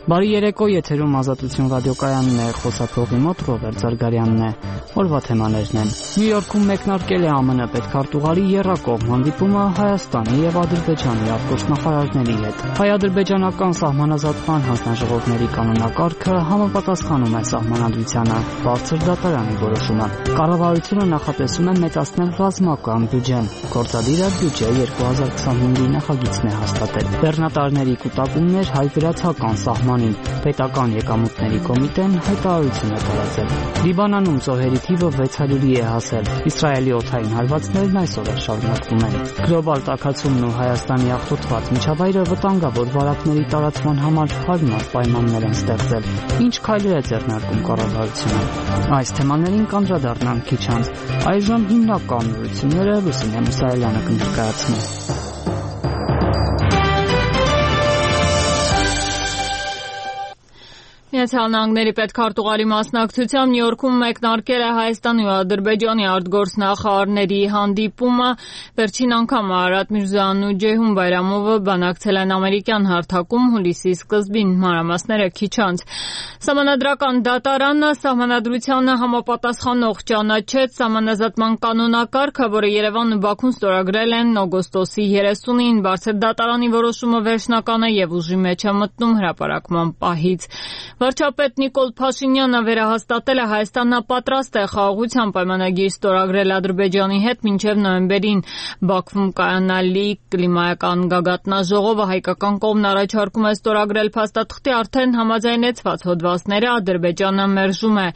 Բարի երեկո, եթերում Ազատություն ռադիոկայանն է, խոսափողի մոտ Ռոբերտ Զարգարյանն է։ Օրվա թեմաներն են. Նյու Յորքում մեկնարկել է ԱՄՆ պետքարտուղարի եռակողմ հանդիպումը Հայաստանի եւ Ադրբեջանի արտգործնախարարների հետ։ Հայ-ադրբեջանական սահմանազատման հանձնաժողովների կանոնակարգը համապատասխանում է սահմանադրությանը, բարձր դատարանի որոշումը։ Կառավարությունը նախատեսում է մեծացնել ռազմական բյուջեն։ Գործադիրը բյուջե 2025-ի նախագիծն է հաստատել։ Բեռնատարների կուտակումներ հայ-վրացական սահմանին։ Պետական եկամուտների կոմիտեն հայտարարություն է տարածել։ Լիբանանում զոհերի թիվը 600-ի է հասել։ Իսրայելի օդային հարվածներն այսօր էլ շարունակվում են։ Գլոբալ տաքացումն ու Հայաստանի աղտոտված միջավայրը վտանգավոր վարակների տարածման համար հարմար պայմաններ են ստեղծել։ Ինչ քայլեր է ձեռնարկում կառավարությունը։ Այս թեմաներին կանդրադառնանք քիչ անց։ Այժմ հիմնական նորությունները Լուսինե Մուսայելյանը կներկայացնի։ Միացյալ Նահանգների պետքարտուղարի մասնակցությամբ Նյու Յորքում մեկնարկել է Հայաստանի ու Ադրբեջանի արտգործնախարարների հանդիպումը։ Վերջին անգամ Արարատ Միրզոյանն ու Ջեյհուն Բայրամովը բանակցել են ամերիկյան հարթակում հուլիսի սկզբին, մանրամասները քիչ անց։ Սահմանադրական դատարանը սահմանադրությանը համապատասխանող ճանաչեց սահմանազատման կանոնակարգը, որը Երևանն ու Բաքուն ստորագրել են օգոստոսի 30-ին։ Բարձր դատարանի որոշումը վերջնական է եւ ուժի մեջ է մտնում հրապարակման պահից։ Վարչապետ Նիկոլ Փաշինյանը վերահաստատել է Հայաստանը պատրաստ է խաղաղության պայմանագիր ստորագրել Ադրբեջանի հետ մինչև նոյեմբերին Բաքվում կայանալի կլիմայական գագաթնաժողովը հայկական կողմն առաջարկում է ստորագրել փաստաթղթի արդեն համաձայնեցված հոդվածները, Ադրբեջանը մերժում է։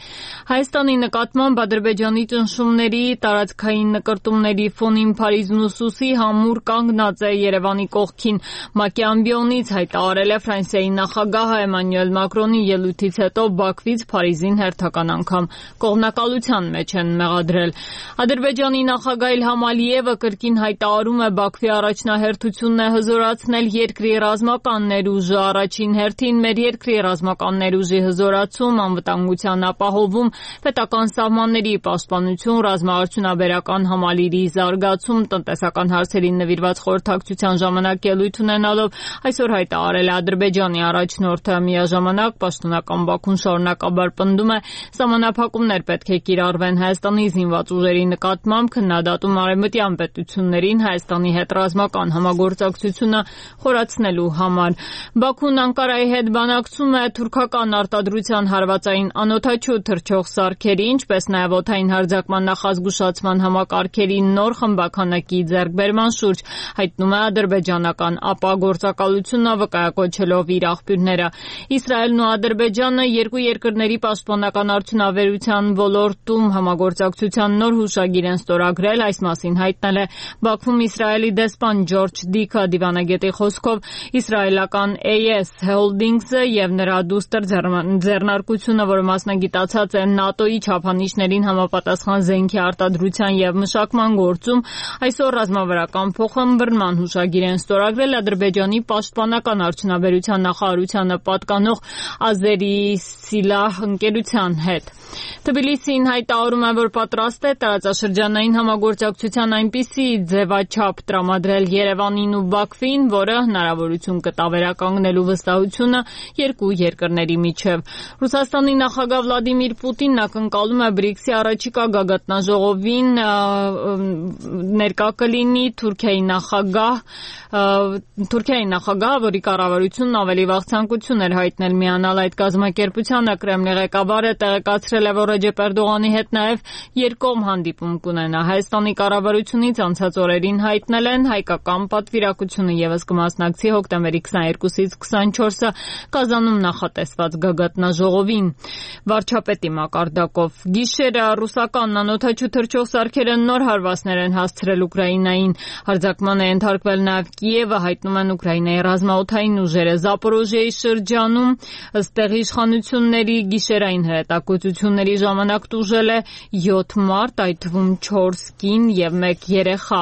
Հայաստանի նկատմամբ Ադրբեջանի ճնշումների տարածքային նկրտումների ֆոնին Փարիզն ու Սուսի համուր կանգնած է Երևանի կողքին։ ՄԱԿ-ի ամբիոնից հայտարարել է Ֆրանսիայի նախագահ Էմանուել Մակրոնի ելույթից հետո Բաքվից Փարիզին հերթական անգամ կողմնակալության մեջ են մեղադրել։ Ադրբեջանի նախագահ Իլհամ Ալիևը կրկին հայտարարում է Բաքվի առաջնահերթությունն է հզորացնել երկրի ռազմական ներուժը, առաջին հերթին մեր երկրի ռազմական ներուժի հզորացում, անվտանգության ապահովում, պետական սահմանների պաշտպանություն, ռազմաարդյունաբերական համալիրի զարգացում, տնտեսական հարցերին նվիրված խորհրդակցության ժամանակ ելույթ ունենալով այսօր հայտարարել է Ադրբեջանի առաջնորդը։ Միաժամանակ պաշտոնական Բաքուն շարունակաբար պնդում է սահմանափակումներ պետք է կիրառվեն Հայաստանի զինված ուժերի նկատմամբ, քննադատում արևմտյան պետություններին Հայաստանի հետ ռազմական համագործակցությունը խորացնելու համար։ Բաքուն Անկարայի հետ բանակցում է թուրքական արտադրության հարվածային անօդաչու թռչող սարքերի, ինչպես նաև օդային հարձակման նախազգուշացման համակարգերի նոր խմբաքանակի ձեռքբերման շուրջ, հայտնում է ադրբեջանական ԱՊԱ գործակալությունը, վկայակոչելով իր աղբյուրները։ Իսրայելն ու Ադրբեջանը երկու երկրների պաշտպանական արդյունաբերության ոլորտում համագործակցության նոր հուշագիր են ստորագրել, այս մասին հայտնել է Բաքվում Իսրայելի դեսպան Ջորջ Դիքը։ Դիվանագետի խոսքով իսրայելական AS Holdings-ը եւ նրա դուստր ձեռնարկությունը, որը մասնագիտացած է ՆԱՏՕ-ի չափանիշներին համապատասխան զենքի արտադրության եւ մշակման գործում, այսօր ռազմավարական փոխըմբռնման հուշագիր են ստորագրել Ադրբեջանի պաշտպանական արդյունաբերության նախարարությանը պատկանող Ազերի Սիլահ ընկերության հետ։ Թբիլիսին հայտարարում է, որ պատրաստ է տարածաշրջանային համագործակցության այնպիսի ձևաչափ տրամադրել Երևանին ու Բաքվին, որը հնարավորություն կտա վերականգնելու վստահությունը երկու երկրների միջև։ Ռուսաստանի նախագահ Վլադիմիր Պուտինն ակնկալում է BRICS-ի առաջիկա գագաթնաժողովին ներկա կլինի Թուրքիայի նախագահ, որի կառավարությունն ավելի վաղ ցանկություն էր հայտնել միանալ այդ կազմակերպությանը։ Կրեմլի ղեկավարը տեղեկացրել է, որ Ռեջեփ Էրդողանի հետ նաև երկկողմ հանդիպում կունենա։ Հայաստանի կառավարությունից անցած օրերին հայտնել են հայկական պատվիրակությունը եւս կմասնակցի հոկտեմբերի 22-ից 24-ը Կազանում նախատեսված գագաթնաժողովին։ Վարչապետի մակարդակով գիշերը ռուսական անօդաչու թռչող սարքերը նոր հարվածներ են հասցրել Ուկրաինային։ Հարձակման է ենթարկվել նաև Կիևը, հայտնում են Ուկրաինայի ռազմաօդային ուժերը։ Զապորոժիայի շրջանում ըստ տեղի իշխանությունների գիշերային հրետակոծությունների ժամանակ տուժել է 7 մարդ, այդ թվում 4 կին եւ 1 երեխա։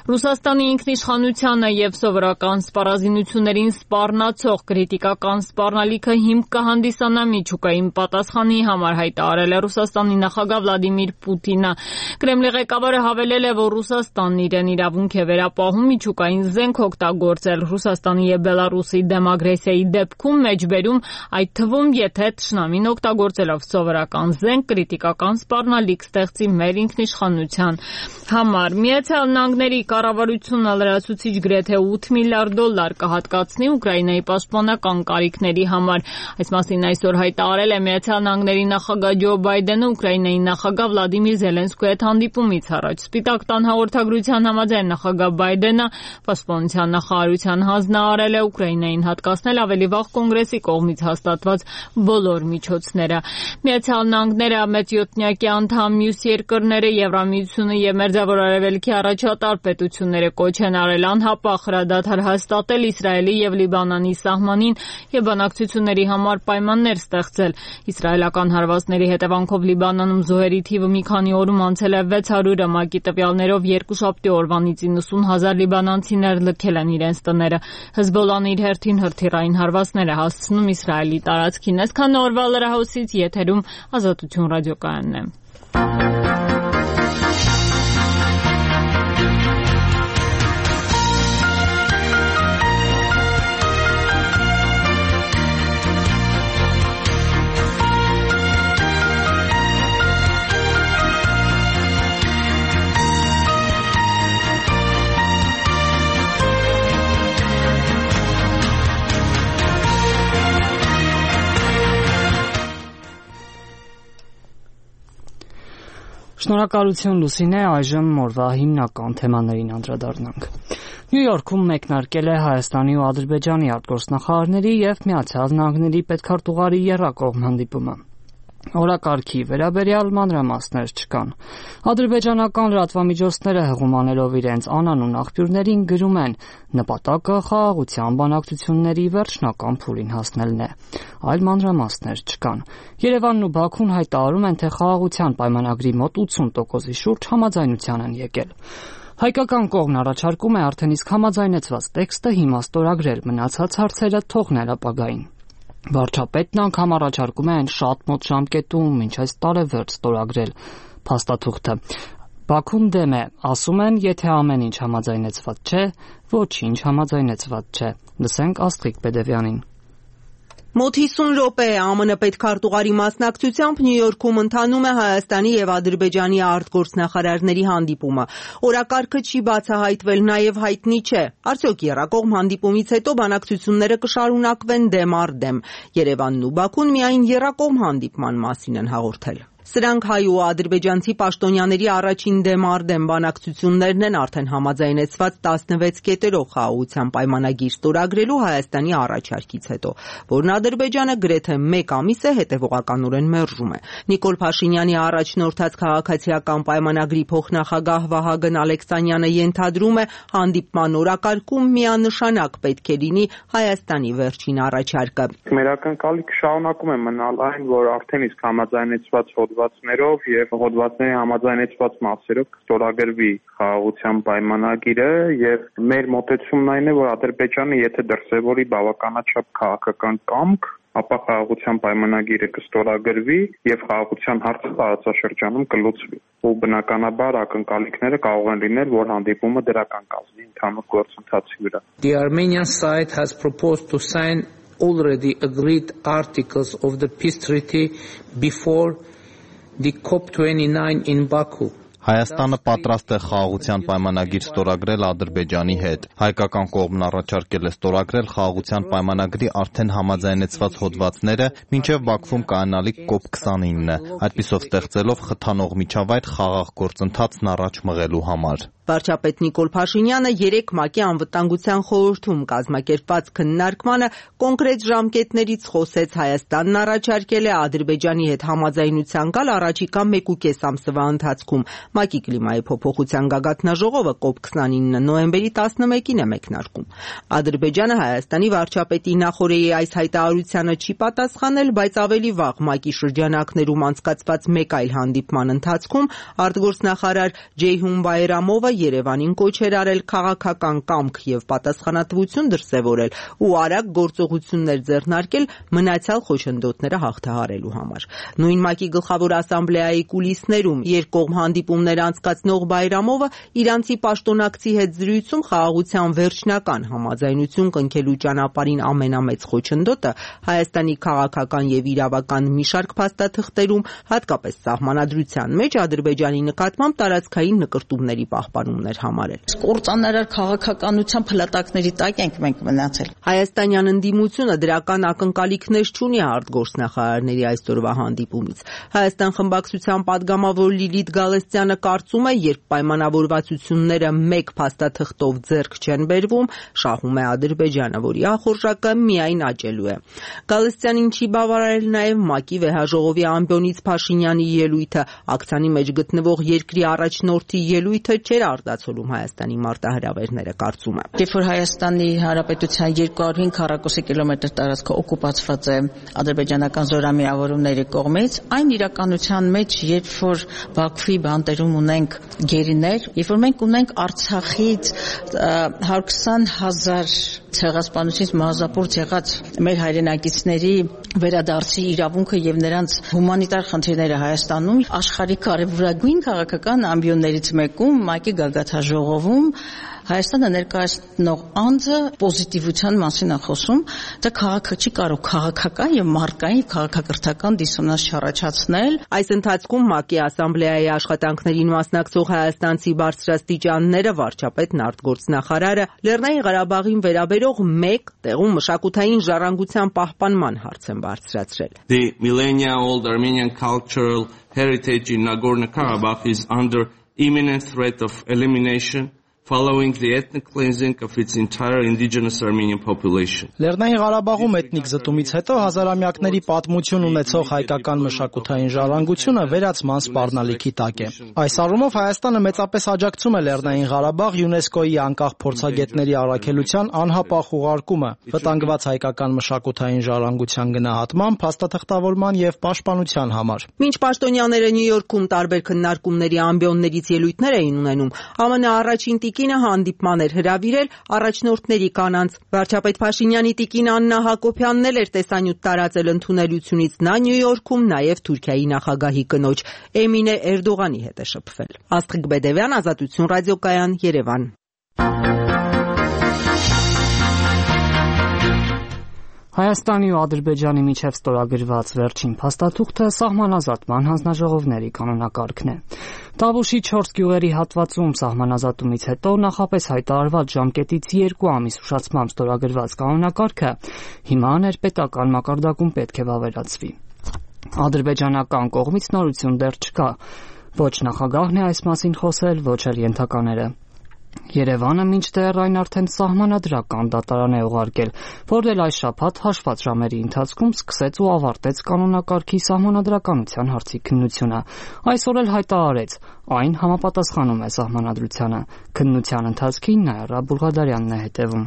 Ռուսաստանի ինքնիշխանությանը եւ սովորական սպառազինություններին սպառնացող քրիտիկական սպառնալիքը հիմք կհանդիսանա միջուկային պատասխանի համար, հայտարարել է Ռուսաստանի նախագահ Վլադիմիր Պուտինը։ Կրեմլի ղեկավարը հավելել է, որ Ռուսաստանն իրեն իրավունք է վերապահում միջուկային զենք օգտագործել Ռուսաստանի եւ Բելարուսի դեմ ագրեսիայի դեպքում մեջբերում, այդ թվում, եթե թշնամին օգտագործելով սովորական զենք քրիտիկական սպառնալիք ստեղծի մեր ինքնիշխանության համար։ Միացյալ Նահանգների կառավարությունը լրացուցիչ գրեթե $8 միլիարդ կհատկացնի Ուկրաինայի պաշտպանական կարիքների համար։ Այս մասին այսօր հայտարարել է Միացյալ Նահանգների նախագահ Ջո Բայդենը Ուկրաինայի նախագահ Վլադիմիր Զելենսկուի հետ հանդիպումից առաջ։ Սպիտակ տան հաղորդագրության համաձայն նախագահ Բայդենը պաշտպանության նախարարության հանձնարարել է Ուկրաինային հատկացնել ավելի վաղ կոնգրեսի կողմից հաստատված բոլոր միջոցները։ Միացյալ Նահանգները մեծ յոթնյակի անդամ մյուս երկրները Եվրամիությունը եւ Մերձավոր Արևելքի առաջատար պետությունները կոչ են արել անհապաղ հրադադար հաստատել Իսրայելի եւ Լիբանանի սահմանին եւ բանակցությունների համար պայմաններ ստեղծել։ Իսրայելական հարվածների հետևանքով Լիբանանում զոհերի թիվը մի քանի օրում անցել է 600-ը, ՄԱԿ-ի տվյալներով երկուշաբթի օրվանից 90,000 լիբանանցիներ լքել են իրենց տները։ Հեզբոլլան իր հերթին հրթիռային հարվածներ է հասցնում Իսրայելի տարածքին։ Այսքան օրվա լրահոսից եթերում Ազատություն ռադիոկայանն է։ Շնորհակալություն Լուսինե, այժմ օրվա հիմնական թեմաներին անդրադառնանք։ Նյու Յորքում մեկնարկել է Հայաստանի ու Ադրբեջանի արտգործնախարարների եւ Միացյալ Նահանգների պետքարտուղարի եռակողմ հանդիպումը։ Օրակարգի վերաբերյալ մանրամասներ չկան։ Ադրբեջանական լրատվամիջոցները հղումանելով իրենց անանուն աղբյուրներին գրում են. նպատակը խաղաղության բանակցությունների վերջնական փուլին հասնելն է։ Այլ մանրամասներ չկան։ Երևանն ու Բաքուն հայտարարում են, թե խաղաղության պայմանագրի մոտ 80%-ի շուրջ համաձայնության են եկել։ Հայկական կողմն առաջարկում է արդեն իսկ համաձայնեցված տեքստը հիմա ստորագրել, մնացած հարցերը թողնել ապագային։ Վարչապետն անգամ առաջարկում է այն շատ մոտ ժամկետում, մինչ այս տարեվերջ ստորագրել փաստաթուղթը։ Բաքուն դեմ է, ասում են, եթե ամեն ինչ համաձայնեցված չէ, ոչինչ համաձայնեցված չէ։ Լսենք Աստղիկ Պետևյանին։ Մոտ 50 րոպե է ԱՄՆ պետքարտուղարի մասնակցությամբ Նյու Յորքում ընթանում է Հայաստանի եւ Ադրբեջանի արտգործնախարարների հանդիպումը։ Օրակարգը չի բացահայտվել, նաեւ հայտնի չէ, արդյոք եռակողմ հանդիպումից հետո բանակցությունները կշարունակվեն դեմ առ դեմ։ Երևանն ու Բաքուն միայն եռակողմ հանդիպման մասին են հաղորդել։ Սրանք հայ ու ադրբեջանցի պաշտոնյաների առաջին դեմ առ դեմ բանակցություններն են արդեն համաձայնեցված 16 կետերով խաղաղության պայմանագիր ստորագրելու Հայաստանի առաջարկից հետո, որն Ադրբեջանը գրեթե 1 ամիս է հետևողականորեն մերժում է։ Նիկոլ Փաշինյանի առաջնորդած քաղաքացիական պայմանագրի փոխնախագահ Վահագն Ալեքսանյանը ենթադրում է, հանդիպման օրակարգում միանշանակ պետք է լինի Հայաստանի վերջին առաջարկը։ Մեր ակնկալիքը շարունակում է մնալ այն, որ արդեն իսկ համաձայնեցված հոդվածներով եւ հոդվածների համաձայնեցված մասերով կստորագրվի խաղաղության պայմանագիրը եւ մեր մոտեցումն այն է, որ Ադրբեջանը եթե դրսևորի բավականաչափ քաղաքական կամք, ապա խաղաղության պայմանագիրը կստորագրվի եւ խաղաղության հարցը տարածաշրջանում կլուծվի։ Ու բնականաբար ակնկալիքները կարող են լինել, որ հանդիպումը դրական կազմի ընդհանուր գործընթացի վրա։ The Armenian side has proposed to sign already agreed articles of the peace treaty before the COP29 in Baku. Հայաստանը պատրաստ է խաղաղության պայմանագիր ստորագրել Ադրբեջանի հետ։ Հայկական կողմն առաջարկել է ստորագրել խաղաղության պայմանագրի արդեն համաձայնեցված հոդվածները մինչև Բաքվում կայանալիք COP29-ը, այդպիսով ստեղծելով խթանող միջավայր խաղաղ գործընթացն առաջ մղելու համար։ Վարչապետ Նիկոլ Փաշինյանը երեկ ՄԱԿ-ի անվտանգության խորհրդում կազմակերպված քննարկմանը կոնկրետ ժամկետներից խոսեց. Հայաստանն առաջարկել է Ադրբեջանի հետ համաձայնության գալ առաջիկա 1.5 ամսվա ընթացքում։ ՄԱԿ-ի կլիմայի փոփոխության գագաթնաժողովը COP29 նոյեմբերի 11-ին է մեկնարկում։ Ադրբեջանը Հայաստանի վարչապետի նախօրեի այս հայտարարությանը չի պատասխանել, բայց ավելի վաղ ՄԱԿ-ի շրջանակներում անցկացված մեկ այլ հանդիպման ընթացքում արտգործնախարար Ջեյհուն Բայրամովը Երևանին կոչ էր արել քաղաքական կամք եւ պատասխանատվություն դրսեւորել ու արագ գործողություններ ձեռնարկել մնացյալ խոչընդոտները հաղթահարելու համար։ Նույն ՄԱԿ-ի գլխավոր ասամբլեայի կուլիսներում երկկողմ հանդիպումներ անցկացնող Բայրամովը իրանցի պաշտոնակցի հետ զրույցում խաղաղության վերջնական համաձայնություն կնքելու ճանապարհին ամենամեծ խոչընդոտը Հայաստանի քաղաքական եւ իրավական մի շարք փաստաթղթերում, հատկապես սահմանադրության մեջ Ադրբեջանի նկատմամբ տարածքային նկրտումների պահպանումներ համարել։ Կործանարար քաղաքականության փլատակների տակ ենք մենք մնացել։ Հայաստանյան ընդդիմությունը դրական ակնկալիքներ չունի արտգործնախարարների այսօրվա հանդիպումից։ Հայաստան խմբակցության падգամավոր Լիլիթ Գալստյանը կարծում է, երբ պայմանավորվածությունները մեկ փաստաթղթով ձեռք չեն բերվում, շահում է Ադրբեջանը, որի ախորժակը միայն աճելու է։ Գալստյանին չի բավարարել նաև ՄԱԿ-ի վեհաժողովի ամբիոնից Փաշինյանի ելույթը, ակցիանի մեջ գտնվող երկրի առաջնորդի ելույթը չէր արտացոլում Հայաստանի մարտահրավերները, կարծում է։ Երբ որ Հայաստանի Հանրապետության 205 քառակուսի կիլոմետր տարածքը օկուպացված է ադրբեջանական զորամիավորումների կողմից, այն իրականության մեջ, երբ որ Բաքվի բանտերում ունենք գերիներ, երբ որ մենք ունենք Արցախից 120,000 ցեղասպանությունից մարզապուրց եղած մեր հայրենակիցների վերադարձի իրավունքը եւ նրանց հումանիտար խնդիրները Հայաստանում, աշխարհի կարևորագույն քաղաքական ամբիոններից մեկում ՄԱԿ-ի գագաթնաժողովում Հայաստանը ներկայացնող անձը պոզիտիվության մասին է խոսում, դա չի կարող քաղաքական եւ մարդկային քաղաքակրթական դիսոնանս չառաջացնել։ Այս ընթացքում ՄԱԿ-ի ասամբլեայի աշխատանքներին մասնակցող հայաստանցի բարձրաստիճանները, վարչապետն, արտգործնախարարը Լեռնային Ղարաբաղին վերաբերող մեկ տեղում մշակութային ժառանգության պահպանման հարց են բարձրացրել։ The millennia-old Armenian cultural heritage in Nagorno-Karabakh is under imminent threat of elimination following the ethnic cleansing of its entire indigenous Armenian population. Լեռնային Ղարաբաղում էթնիկ զտումից հետո հազարամյակների պատմություն ունեցող հայկական մշակութային ժառանգությունը վերացման սպառնալիքի տակ է։ Այս առումով Հայաստանը մեծապես աջակցում է Լեռնային Ղարաբաղ ՅՈՒՆԵՍԿՕ-ի անկախ փորձագետների առաքելության անհապաղ ուղարկումը, վտանգված հայկական մշակութային ժառանգության գնահատման, փաստաթղթավորման եւ պաշտպանության համար։ Մինչ պաշտոնյաները Նյու Յորքում տարբեր քննարկումների ամբիոններից ելույթներ էին ունենում, ԱՄՆ առաջին տիկինը հանդիպման էր հրավիրել առաջնորդների կանանց։ Վարչապետ Փաշինյանի տիկին Աննա Հակոբյանն էլ էր տեսանյութ տարածել ընդունելությունից նա Նյու Յորքում նաև Թուրքիայի նախագահի կնոջ Էմինե Էրդողանի հետ է շփվել։ Աստղիկ Բեդևյան, Ազատություն ռադիոկայան, Երևան։ Հայաստանի ու Ադրբեջանի միջև ստորագրված վերջին փաստաթուղթը սահմանազատման հանձնաժողովների կանոնակարգն է։ Տավուշի 4 գյուղերի հատվածում սահմանազատումից հետո նախապես հայտարարված ժամկետից 2 ամիս ուշացմամբ ստորագրված կանոնակարգը հիմա ներպետական մակարդակում պետք է վավերացվի։ Ադրբեջանական կողմից նորություն դեռ չկա։ Ոչ նախագահն է այս մասին խոսել, ոչ էլ ենթակաները։ Երևանը մինչդեռ այն արդեն սահմանադրական դատարան է ուղարկել, որն էլ այս շաբաթ հաշված ժամերի ընթացքում սկսեց ու ավարտեց կանոնակարգի սահմանադրականության հարցի քննությունը։ Այսօր էլ հայտարարեց, այն համապատասխանում է սահմանադրությանը։ Քննության ընթացքին Նայրա Բուլղադարյանն է հետևում։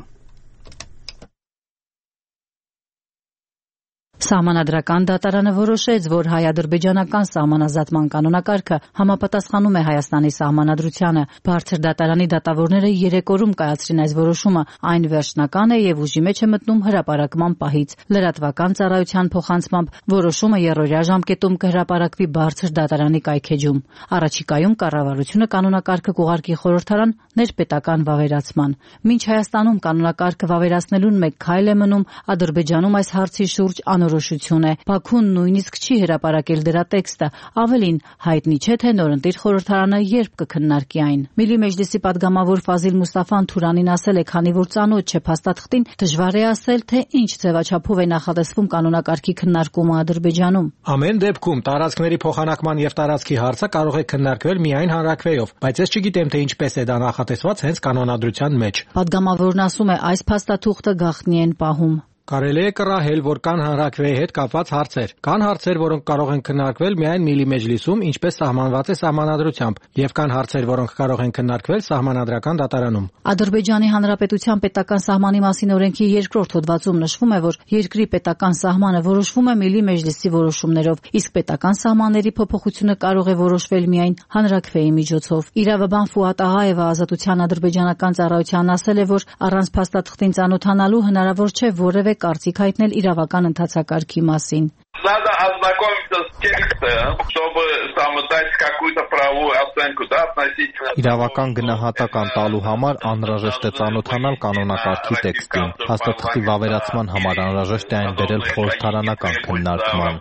Սահմանադրական դատարանը որոշեց, որ հայ-ադրբեջանական սահմանազատման կանոնակարգը համապատասխանում է Հայաստանի սահմանադրությանը։ Բարձր դատարանի դատավորները 3 օրում կայացրին այս որոշումը, այն վերջնական է եւ ուժի մեջ է մտնում հրապարակման պահից։ Լրատվական ծառայության փոխանցմամբ որոշումը երրորդյա ժամկետում կհրապարակվի բարձր դատարանի կայքեջում։ Առաջիկայում կառավարությունը կանոնակարգը կուղարկի խորհրդարան ներպետական վավերացման։ Մինչ Հայաստանում կանոնակարգը վավերացնելուն մեկ քայլ է մնում, Ադրբեջանում այս հարցի շուրջ անոր որոշություն է։ Բաքուն նույնիսկ չի հրապարակել դրա տեքստը, ավելին հայտնի չէ, թե նորընտիր խորհրդարանը երբ կքննարկի այն։ Միլի մեջլիսի պատգամավոր Ֆազիլ Մուստաֆան Թուրանին ասել է, քանի որ ծանոթ չէ փաստաթղթին, դժվար է ասել, թե ինչ ձևաչափով է նախատեսվում կանոնակարգի քննարկումը Ադրբեջանում։ Ամեն դեպքում տարածքների փոխանակման եւ տարածքի հարցը կարող է քննարկվել միայն հանրաքվեով, բայց ես չգիտեմ, թե ինչպես է դա նախատեսված հենց կանոնադրության մեջ։ Պատգամավորն ասում է, այս փաստաթուղթը գաղտնի են պահում։ Կարելի է կռահել, որ կան հանրաքվեի հետ կապված հարցեր։ Կան հարցեր, որոնք կարող են քննարկվել միայն Միլի մեջլիսում, ինչպես սահմանված է սահմանադրությամբ, եւ կան հարցեր, որոնք կարող են քննարկվել սահմանադրական դատարանում։ Ադրբեջանի Հանրապետության պետական սահմանի մասին օրենքի 2-րդ հոդվածում նշվում է, որ երկրի պետական սահմանը որոշվում է Միլի մեջլիսի որոշումներով, իսկ պետական սահմանների փոփոխությունը կարող է որոշվել միայն հանրաքվեի միջոցով։ Իրավաբան Ֆուատ Աղաևը Ազատության ադրբեջանական ծառայության ասել է, որ առանց փաստաթղթին ծանոթանալու հնարավոր չէ որևէ կարծիք հայտնել իրավական ընթացակարգի մասին։ Надо ознакомиться с текстом, чтобы сам дать какую-то правовую оценку, да, относительно. Իրավական գնահատական տալու համար անհրաժեշտ է ծանոթանալ կանոնակարգի տեքստին։ Փաստաթղթի վավերացման համար անհրաժեշտ է այն բերել խորհրդարանական քննարկման։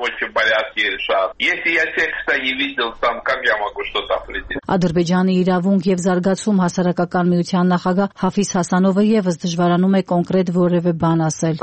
Если я текста не видел сам, как я могу что-то определить? Ադրբեջանի իրավունք եւ զարգացում հասարակական միության նախագահ Հաֆիզ Հասանովը եւս դժվարանում է կոնկրետ որևէ բան ասել։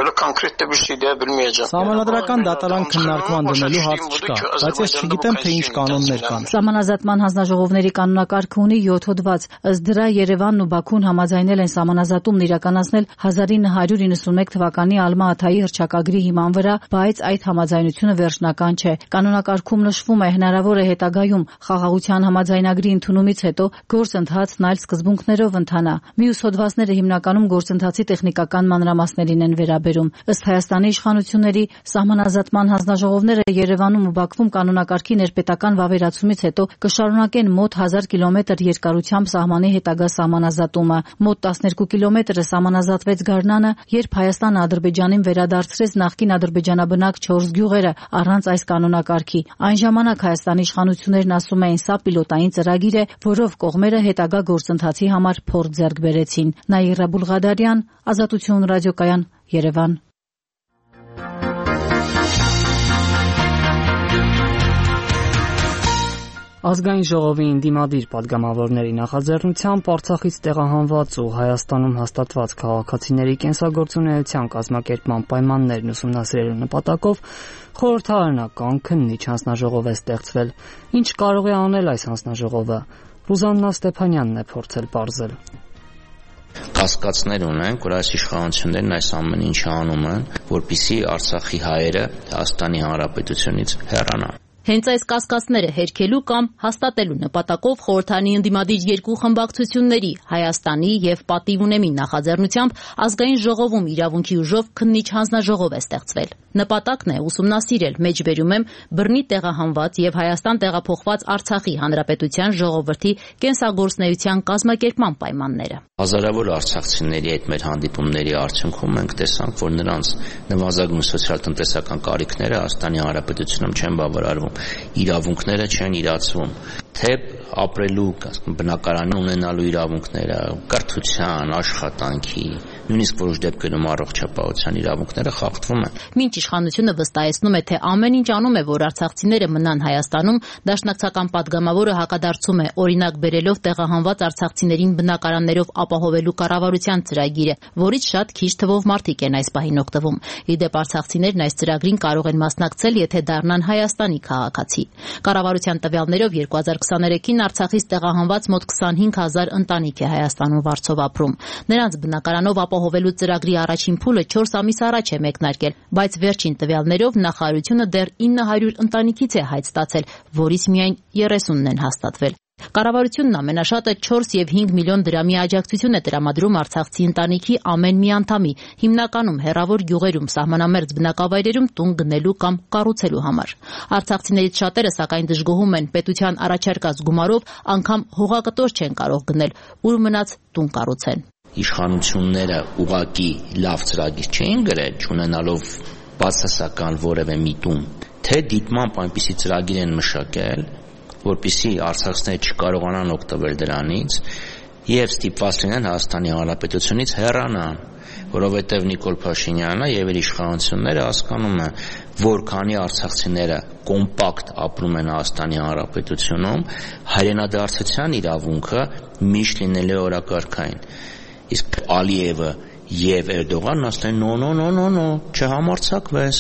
Սահմանադրական դատարան քննարկման դնելու հարց չկա, բայց ես չգիտեմ, թե ինչ կանոններ կան։ Սահմանազատման հանձնաժողովների կանոնակարգը ունի 7 հոդված։ Ըստ դրա Երևանն ու Բաքուն համաձայնել են սահմանազատումն իրականացնել 1991 թվականի Ալմա-Աթայի հռչակագրի հիման վրա, բայց այդ համաձայնությունը վերջնական չէ։ Կանոնակարգում նշվում է, հնարավոր է հետագայում խաղաղության համաձայնագրի ընդունումից հետո գործընթացն այլ սկզբունքներով ընթանա։ Մյուս հոդվածները հիմնականում գործընթացի տեխնիկական մանրամասներին են վերաբերում։ Ըստ Հայաստանի իշխանությունների սահմանազատման հանձնաժողովները Երևանում ու Բաքվում կանոնակարգի ներպետական վավերացումից հետո կշարունակեն մոտ 1000 կիլոմետր երկարությամբ սահմանի հետագա սահմանազատումը։ Մոտ 12 կիլոմետրը սահմանազատվեց գարնանը, երբ Հայաստանը Ադրբեջանին վերադարձրեց նախկին ադրբեջանաբնակ 4 գյուղերը առանց այս կանոնակարգի։ Այն ժամանակ Հայաստանի իշխանություններն ասում էին, սա պիլոտային ծրագիր է, որով կողմերը հետագա գործընթացի համար փորձ ձեռք բերեցին։ Նաիրա Բուլղադարյան, Ազատություն ռադիոկայան, Երևան։ Ազգային ժողովի ընդդիմադիր պատգամավորների նախաձեռնությամբ Արցախից տեղահանված ու Հայաստանում հաստատված քաղաքացիների կենսագործունեության կազմակերպման պայմաններն ուսումնասիրելու նպատակով խորհրդարանական քննիչ հանձնաժողով է ստեղծվել։ Ինչ կարող է անել այս հանձնաժողովը։ Ռուզաննա Ստեփանյանն է փորձել պարզել։ Կասկածներ ունենք, որ այս իշխանություններն այս ամեն ինչը անում են, որպեսզի Արցախի հայերը Հայաստանի Հանրապետությունից հեռանան։ Հենց այս կասկածները հերքելու կամ հաստատելու նպատակով խորհրդարանի ընդդիմադիր երկու խմբակցությունների Հայաստանի եւ Պատիվ ունեմի նախաձեռնությամբ ազգային ժողովում իրավունքի ուժով քննիչ հանձնաժողով է ստեղծվել։ Նպատակն է ուսումնասիրել մեջբերում եմ բռնի տեղահանված եւ Հայաստան տեղափոխված Արցախի Հանրապետության ժողովրդի կենսագործունեության կազմակերպման պայմանները։ Հազարավոր արցախցիների այդ մեր հանդիպումների արդյունքում մենք տեսանք, որ նրանց նվազագույն սոցիալ-տնտեսական կարիքները Հայաստանի Հանրապետությունում չեն բավարարվում, իրավունքները չեն իրացվում, թե ապրելու, բնակարան ունենալու իրավունքները, կրթության, աշխատանքի, նույնիսկ որոշ դեպքերում առողջապահության իրավունքները խախտվում են։ Մինչ իշխանությունը վստահեցնում է, թե ամեն ինչ անում է, որ արցախցիները մնան Հայաստանում, դաշնակցական պատգամավորը հակադարձում է, օրինակ բերելով տեղահանված արցախցիներին բնակարաններով ապահովելու կառավարության ծրագիրը, որից շատ քիչ թվով մարդիկ են այս պահին օգտվում։ Իդեպ արցախցիներն այս ծրագրին կարող են մասնակցել, եթե դառնան Հայաստանի քաղաքացի։ Կառավարության տվյալներով 2023-ին Արցախից տեղահանված մոտ 25000 ընտանիք է Հայաստանում վարձով ապրում։ Նրանց բնակարանով ապահովելու ծրագրի առաջին փուլը 4 ամիս առաջ է մեկնարկել, բայց վերջին տվյալներով նախարարությունը դեռ 900 ընտանիքից է հայտ ստացել, որից միայն 30-ն են հաստատվել։ Կառավարությունն ամենաշատը 4 եւ 5 միլիոն դրամի աջակցություն է տրամադրում արցախցի ընտանիքի ամեն մի անդամի, հիմնականում հեռավոր գյուղերում սահմանամերձ բնակավայրերում տուն գնելու կամ կառուցելու համար։ Արցախցիներից շատերը սակայն դժգոհում են պետության առաջարկած գումարով անգամ հողակտոր չեն կարող գնել, ուր մնաց տուն կառուցեն։ Իշխանությունները ուղղակի լավ ծրագիր չէին գրել, չունենալով բացասական որևէ միտում, թե դիտմամբ այնպիսի ծրագիր են մշակել, որպեսզի արցախցիները չկարողանան օգտվել դրանից եւ ստիպված լինեն Հայաստանի Հանրապետությունից հեռանան։ որովհետև Նիկոլ Փաշինյանը եւ իր իշխանությունները հասկանում են, որ քանի արցախցիները կոմպակտ ապրում են Հայաստանի Հանրապետությունում, հայրենադարձության իրավունքը միշտ լինելու է օրակարգային։ Իսկ Ալիևը եւ Էրդողանն ասեն նո, չհամարձակվես։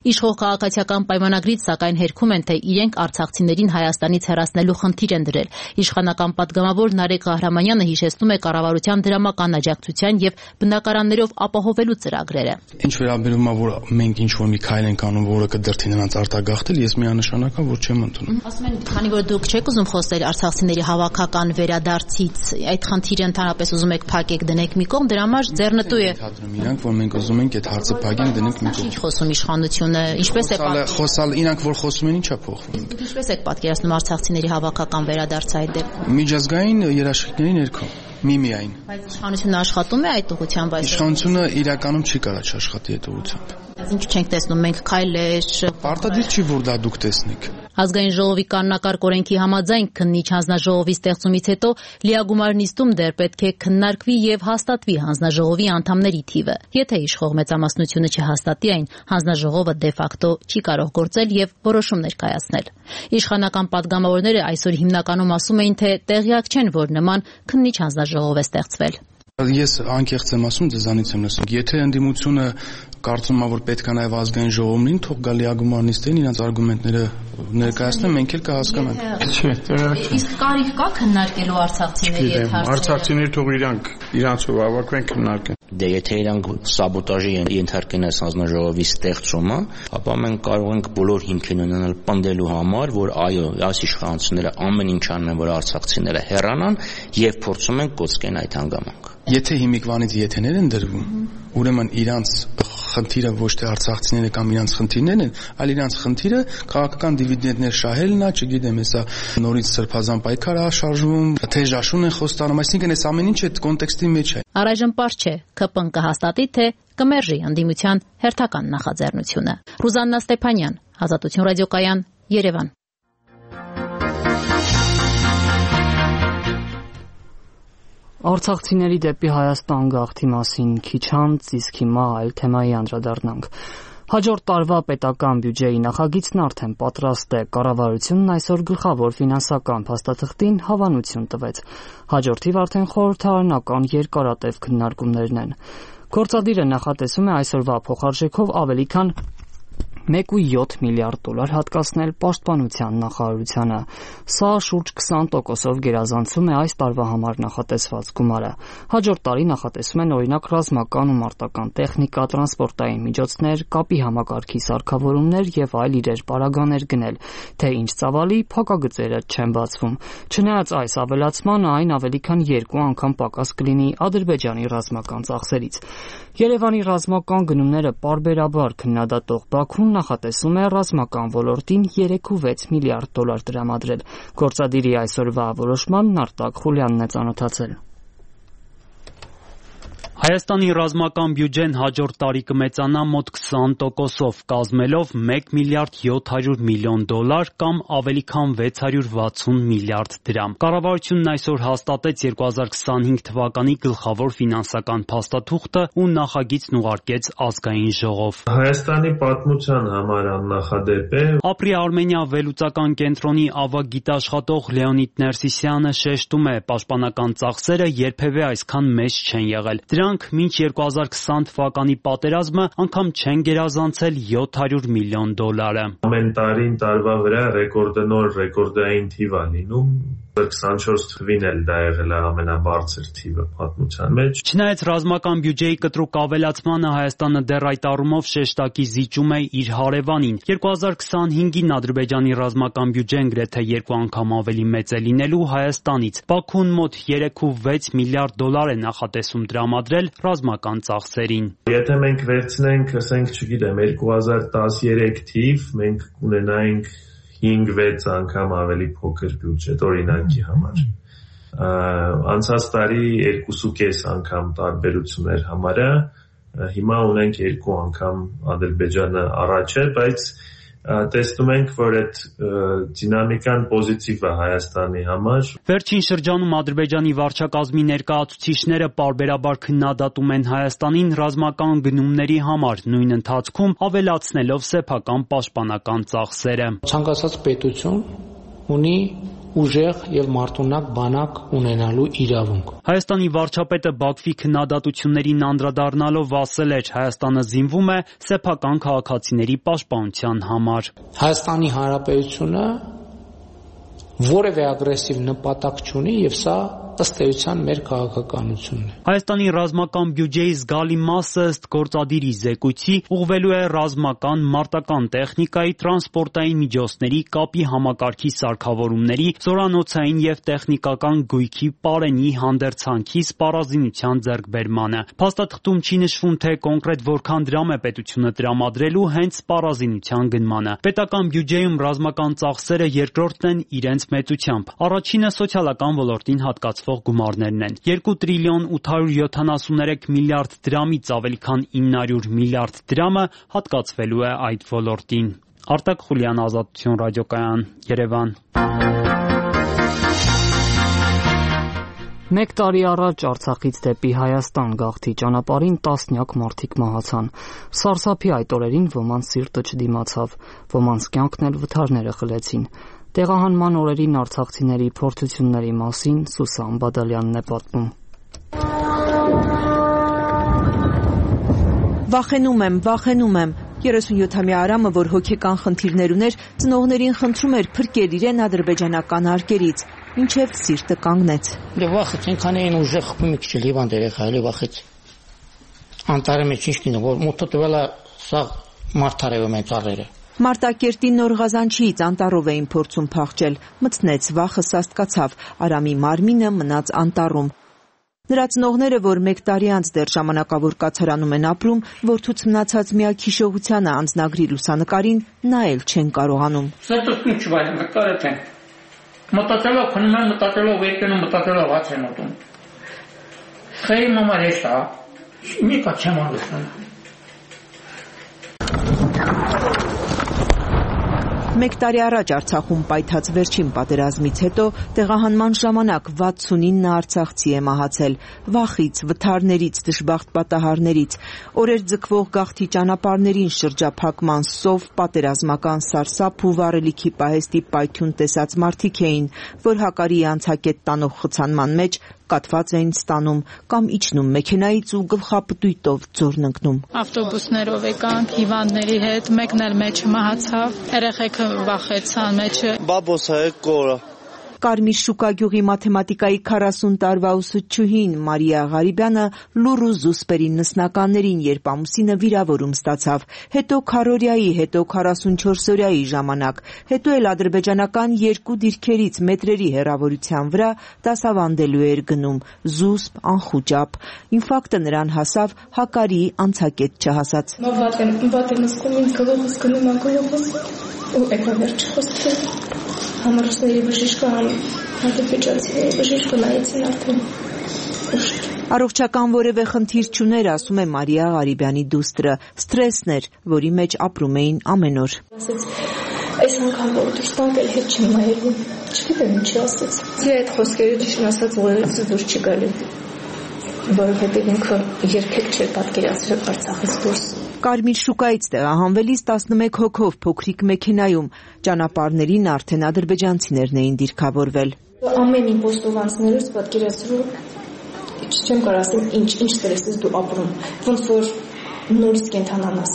Իշխող քաղաքացիական պայմանագրից սակայն հերքում են, թե իրենք արցախցիներին Հայաստանից հեռացնելու խնդիր են դրել։ Իշխանական պատգամավոր Նարեկ Ղահրամանյանը հիշեցնում է կառավարության դրամական աջակցության եւ բնակարաններով ապահովելու ծրագրերը։ Ինչ վերաբերում է, որ մենք ինչ որ մի քայլ ենք անում, որը կդրթի նրանց արտագաղթել, ես միանշանակ որ չեմ ընդունում։ Ասում են, քանի որ դուք չեք ուզում խոսել արցախցիների հավաքական վերադարձից, այդ խնդիրը ընդհանրապես ուզում եք փակեք դնեք մի կողմ, դրա համար ձեռնտու Իրանք որ մենք ուզում ենք այդ հարցը փակենք դնենք մի կողմ։ Ինչ խոսում իշխանությունը, ինչպես է խոսալ, իրանք որ խոսում են, ինչա փոխվում։ Ինչպես եք պատկերացնում արցախցիների հավաքական վերադարձը այդ դեպքում։ Միջազգային երաշխիքների ներքո միայն։ Բայց իշխանությունը աշխատում է այդ ուղղությամբ, բայց իշխանությունը իրականում չի կարող աշխատի այդ ուղղությամբ։ Ինչ չենք տեսնում մենք քայլեր։ Պարտադիր չի որ դա դուք տեսնեք։ Ազգային ժողովի կանոնակարգ օրենքի համաձայն քննիչ հանձնաժողովի ստեղծումից հետո լիագումար նիստում դեռ պետք է քննարկվի եւ հաստատվի հանձնաժողովի անդամների թիվը։ Եթե իշխող մեծամասնությունը չհաստատի այն, հանձնաժողովը դե ֆակտո չի կարող գործել եւ որոշումներ կայացնել։ Իշխանական պատգամավորները այսօր հիմնականում ասում էին, թե տեղյակ չեն, որ նման քննիչ հանձնաժողով է ստեղծվել։ Ես անկեղծ եմ ասում, ձեզանից եմ լսում։ Եթե ընդդիմությունը կարծում է, որ պետք է նաև ազգային ժողովին, թող գա լիագումար նիստերին իրենց արգումենտները ներկայացնեն, մենք էլ կհասկանանք։ Իսկ կարիք կա քննարկելու արցախցիների հետ հարցերը։ Արցախցիները թող իրանցով հավաքվեն քննարկեն։ Դե եթե իրանք սաբոտաժի ենթարկեն այս հանձնաժողովի ստեղծումը, ապա մենք կարող ենք բոլոր հիմքեր ունենալ պնդելու համար, որ այո, այս իշխանությունները ամեն ինչ անում են, որ արցախցիները հեռանան եւ փորձում են կոծկեն այդ հանգամանքը։ Եթե հիմիկվանից եթեներ են դրվում, ուրեմն իրանց խնդիրը ոչ թե արցախցիները կամ իրանց խնդիրներն են, այլ իրանց խնդիրը քաղաքական դիվիդենդներ շահելն է, չգիտեմ, հեսա նորից սրբազան պայքար է շարժվում, թեժաշուն են խոստանում, այսինքն այս ամեն ինչ այդ կոնտեքստի մեջ է։ Առայժմ պարզ չէ, ԿՊ-ն կհաստատի, թե կմերժի ընդդիմության հերթական նախաձեռնությունը։ Ռուզաննա Ստեփանյան, Ազատություն ռադիոկայան, Երևան։ Արցախցիների դեպի Հայաստան գաղթի մասին քիչ անց, իսկ հիմա այլ թեմայի անդրադառնանք։ Հաջորդ տարվա պետական բյուջեի նախագիծն արդեն պատրաստ է։ Կառավարությունն այսօր գլխավոր ֆինանսական փաստաթղթին հավանություն տվեց։ Հաջորդիվ արդեն խորհրդարանական երկարատև քննարկումներն են։ Գործադիրը նախատեսում է այսօրվա փոխարժեքով ավելի քան 1.7 միլիարդ դոլար հատկացնել պաշտպանության նախարարությանը։ Սա շուրջ 20%-ով գերազանցում է այս տարվա համար նախատեսված գումարը։ Հաջորդ տարի նախատեսում են օրինակ ռազմական ու մարտական տեխնիկա, տրանսպորտային միջոցներ, կապի համակարգի սարքավորումներ եւ այլ իրեր պարագաներ գնել, թե ինչ ծավալի փակագծերը չեն բացվում։ Չնայած այս ավելացմանը, այն ավելի քան 2 անգամ պակաս կլինի Ադրբեջանի ռազմական ծախսերից։ Երևանի ռազմական գնումները պարբերաբար քննադատող Բաքուն նախատեսում է ռազմական ոլորտին 3.6 միլիարդ դոլար տրամադրել։ Գործադիրի այսօրվա որոշմանն Արտակ Խուլյանն է ծանոթացել։ Հայաստանի ռազմական բյուջեն հաջորդ տարի կմեծանա մոտ 20%-ով, կազմելով 1 միլիարդ 700 միլիոն դոլար կամ ավելի քան 660 միլիարդ դրամ։ Կառավարությունն այսօր հաստատեց 2025 թվականի գլխավոր ֆինանսական փաստաթուղթը ու նախագիծն ուղարկեց ազգային ժողով։ Հայաստանի պատմության համար աննախադեպ է։ Ապրի Արմենիա վերլուծական կենտրոնի ավագ գիտաշխատող Լեոնիդ Ներսիսյանը շեշտում է, պաշտպանական ծախսերը երբևէ այսքան մեծ չեն եղել։ Դրանք մինչ 2020 թվականի պատերազմը անգամ չեն գերազանցել 700 միլիոն դոլարը։ Ամեն տարին տարվա վրա ռեկորդնոր ռեկորդային թիվ է լինում։ 24 թվին էլ դա եղել է ամենաբարձր թիվը պատմության մեջ։ Չնայած ռազմական բյուջեի կտրուկ ավելացմանը Հայաստանը դեռ այդ առումով շեշտակի զիջում է իր հարևանին։ 2025-ին Ադրբեջանի ռազմական բյուջեն գրեթե 2 անգամ ավելի մեծ է լինելու Հայաստանից։ Բաքուն մոտ 3.6 միլիարդ դոլար է նախատեսում տրամադրել ռազմական ծախսերին։ Եթե մենք վերցնենք, ասենք, չգիտեմ, 2013 թիվ, մենք կունենայինք 5-6 անգամ ավելի փոքր բյուջետ օրինակի համար։ Անցած տարի 2.5 անգամ տարբերություն էր համարը, հիմա ունենք 2 անգամ Ադրբեջանը առաջ է, բայց տեսնում ենք, որ այդ դինամիկան պոզիտիվ է Հայաստանի համար։ Վերջին շրջանում Ադրբեջանի վարչակազմի ներկայացուցիչները պարբերաբար քննադատում են Հայաստանին ռազմական գնումների համար, նույն ընթացքում ավելացնելով սեփական պաշտպանական ծախսերը։ Ցանկացած պետություն ունի ուժեղ եւ մարտունակ բանակ ունենալու իրավունք։ Հայաստանի վարչապետը Բաքվի քննադատություններին անդրադառնալով ասել էր, Հայաստանը զինվում է սեփական քաղաքացիների պաշտպանության համար։ Հայաստանի Հանրապետությունը որևէ ագրեսիվ նպատակ չունի եւ սա ըստ էության մեր քաղաքականությունն է։ Հայաստանի ռազմական բյուջեի զգալի մասը ըստ գործադիրի զեկույցի ուղղվելու է ռազմական, մարտական տեխնիկայի, տրանսպորտային միջոցների, կապի համակարգի սարքավորումների, զորանոցային եւ տեխնիկական գույքի, պարենի, հանդերձանքի, սպառազինության ձեռքբերմանը։ Փաստաթղթում չի նշվում, թե կոնկրետ որքան դրամ է պետությունը տրամադրելու հենց սպառազինության գնմանը։ Պետական բյուջեում ռազմական ծախսերը երկրորդն են իրենց մեծությամբ։ Առաջինը սոցիալական ոլորտին հատկացվող գումարներն են։ 2 տրիլիոն 873 միլիարդ դրամից ավելի քան 900 միլիարդ դրամը հատկացվելու է այդ ոլորտին։ Արտակ Խուլյան, Ազատություն ռադիոկայան, Երևան։ Մեկ տարի առաջ Արցախից դեպի Հայաստան գաղթի ճանապարհին տասնյակ մարդիկ մահացան։ Սարսափի այդ օրերին ոմանց սիրտը չդիմացավ, ոմանց կյանքն էլ վթարները խլեցին։ Տեղահանման օրերին արցախցիների փորձությունների մասին Սուսան Բադալյանն է պատմում։ Վախենում եմ։ 37-ամյա Արամը, որ հոգեկան խնդիրներ ուներ, ծնողներին խնդրում էր փրկել իրեն ադրբեջանական հարկերից, ինչև սիրտը կանգնեց։ Դե վախեց, ինքան էին ուժեղ խփում մի քիչ Լիվան դերեխա, էլի վախեց։ Անտարը մեջ ինչ կինո, որ մոտը տվելա սա մարտարևը մեծ առերը։ Մարտակերտի Նոր Ղազանչիից անտառով էին փորձում փախչել, մտցնեց, վախը սաստկացավ, Արամի մարմինը մնաց անտառում։ Նրա ծնողները, որ մեկ տարի անց դեռ ժամանակավոր կացարանում են ապրում, որդուց մնացած միակ հիշողությանը անձնագրի լուսանկարին նայել չեն կարողանում։ Սրտս ինչ վայր, նկարել են։ Մտածելով քնում եմ, մտածելով եկնում, մտածելով հաց են ուտում։ Խեյ մամա հեշտ է, մի կա չեմ ալուսնում։ Մեկ տարի առաջ Արցախում պայթած վերջին պատերազմից հետո տեղահանման ժամանակ 69 արցախցի է մահացել, վախից, վթարներից, դժբախտ պատահարներից, օրեր ձգվող գաղթի ճանապարհներին շրջափակման սով, պատերազմական սարսափ ու վառելիքի պահեստի պայթյուն տեսած մարդիկ էին, որ հակարի անցակետ տանող խցանման մեջ կատված էին ստանում կամ իջնում մեքենայից ու գլխապտույտով ձորն ընկնում։ Ավտոբուսներով եկան հիվանդների հետ, մեկն էլ մեջը մահացավ, երեխեքը վախեցան մեջը։ Բաբոսը կորը։ Կարմիր շուկա գյուղի մաթեմատիկայի 40 տարվա ուսուցչուհին Մարիա Ղարիբյանը լուռ ու զուսպերի նսնականներին, երբ ամուսինը վիրավորում ստացավ, հետո քարորիայի, հետո 44-օրյայի ժամանակ, հետո էլ ադրբեջանական 2 դիրքերից մետրերի հեռավորության վրա դասավանդելու էր գնում, զուսպ, անխուճապ։ Ինֆարկտը նրան հասավ հակարի անցակետ չհասած։ Վատեմ զգում ինձ գլուխս գնում անգլուխս ու եկա վերջ խոսքը։ Համարուսների բժիշկը, ադրբեջանցիների բժիշկը նայեցին արդեն ուշ։ Առողջական որևէ խնդիր չուներ, ասում է Մարիա Ղարիբյանի դուստրը, ստրեսն էր, որի մեջ ապրում էին ամեն օր։ Այս անգամ որ դուրս տանք էլ հետ չեմ նայելու, չգիտեմ ինչի ասեց։ Ձի այդ խոսքերը ճիշտ ասած ուղղակի դուրս չի գալու, որովհետև ինքը երբեք չէր պատկերացրել Արցախից դուրս։ Կարմիր շուկայից տեղահանվելիս 11 հոգով փոքրիկ մեքենայում ճանապարհներին արդեն ադրբեջանցիներն էին դիրքավորվել։ Ամեն իմպոստովանցներից պատկերացրու չեմ կարող ասել ինչ ստրեսից դու ապրում, ոնց որ նորից կենթանանաս։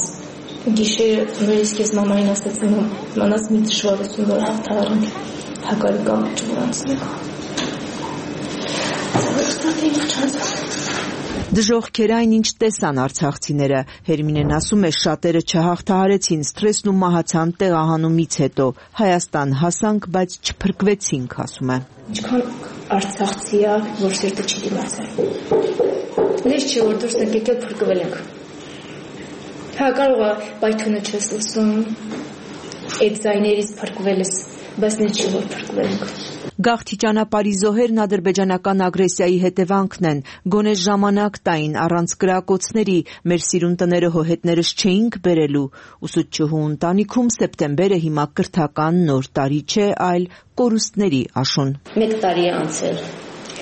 Գիշերը նորից քեզ մամային ասացին, մանաս մի դժվարություն որ հաղթահարենք, հակարի կամ չվրանցնենք։ Դժոխքեր այն ինչ տեսան արցախցիները, Հերմինեն ասում է շատերը չհաղթահարեցին ստրեսն ու մահացան տեղահանումից հետո, Հայաստան հասանք, բայց չփրկվեցինք, ասում է։ Ինչքան արցախցի է, որ սիրտը չի դիմացել։ Լեզ չի որ դուրս ենք եկել փրկվել ենք։ Հա կարող է պայթյունը չես լսում, այդ ձայներից փրկվել ես, բայց նե չի որ փրկվել ենք։ Գաղթի ճանապարհի զոհերն ադրբեջանական ագրեսիայի հետևանքն են։ Գոնե ժամանակ տային առանց կրակոցների մեր սիրուն տները հոհետներս չէինք բերելու։ Ուսուցչուհու ընտանիքում սեպտեմբերը հիմա կրթական նոր տարի չէ, այլ կորուստների աշուն։ 1 տարի է անցել։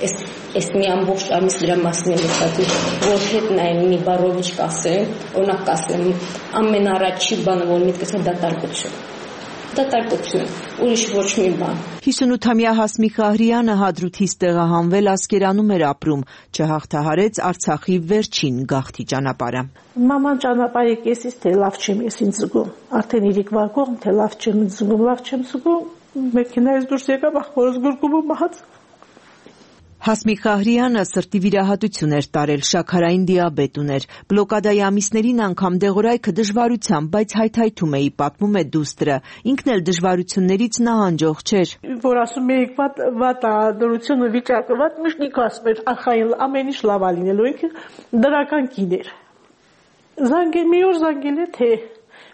Այս մի ամբողջ ամիս դրա մասին եմ մտածում, որ հետ նայեմ մի բառով ինչ կասեմ, օրինակ կասեմ, ամենառաջի բանը, որ միտքս է դատարկություն, ուրիշ ոչ մի բան։ 58-ամյա Հասմիկ Աղրյանը Հադրութից տեղահանվել Ասկերանում էր ապրում, չհաղթահարեց Արցախի վերջին գաղթի ճանապարհը։ Մաման ճանապարհի կեսից թե լավ չեմ ես ինձ զգում, արդեն իրիկ վարկողմ թե լավ չեմ զգում, մեքենայից դուրս եկա, ախորս գուրկումը մահաց։ Հասմիկ Աղրյանը սրտի վիրահատություն էր տարել, շաքարային դիաբետ ուներ։ Բլոկադայի ամիսներին անգամ դեղորայքը դժվարությամբ, բայց հայթայթում էի, պատմում է դուստրը։ Ինքն էլ դժվարություններից նահանջող չէր։ Որ ասում էիք վատ դրությունը վիճակը վատ, միշտ ինքը ասում էր արխային ամեն ինչ լավ է լինելու, ինքը դրական կին էր։ Մի օր զանգել է թե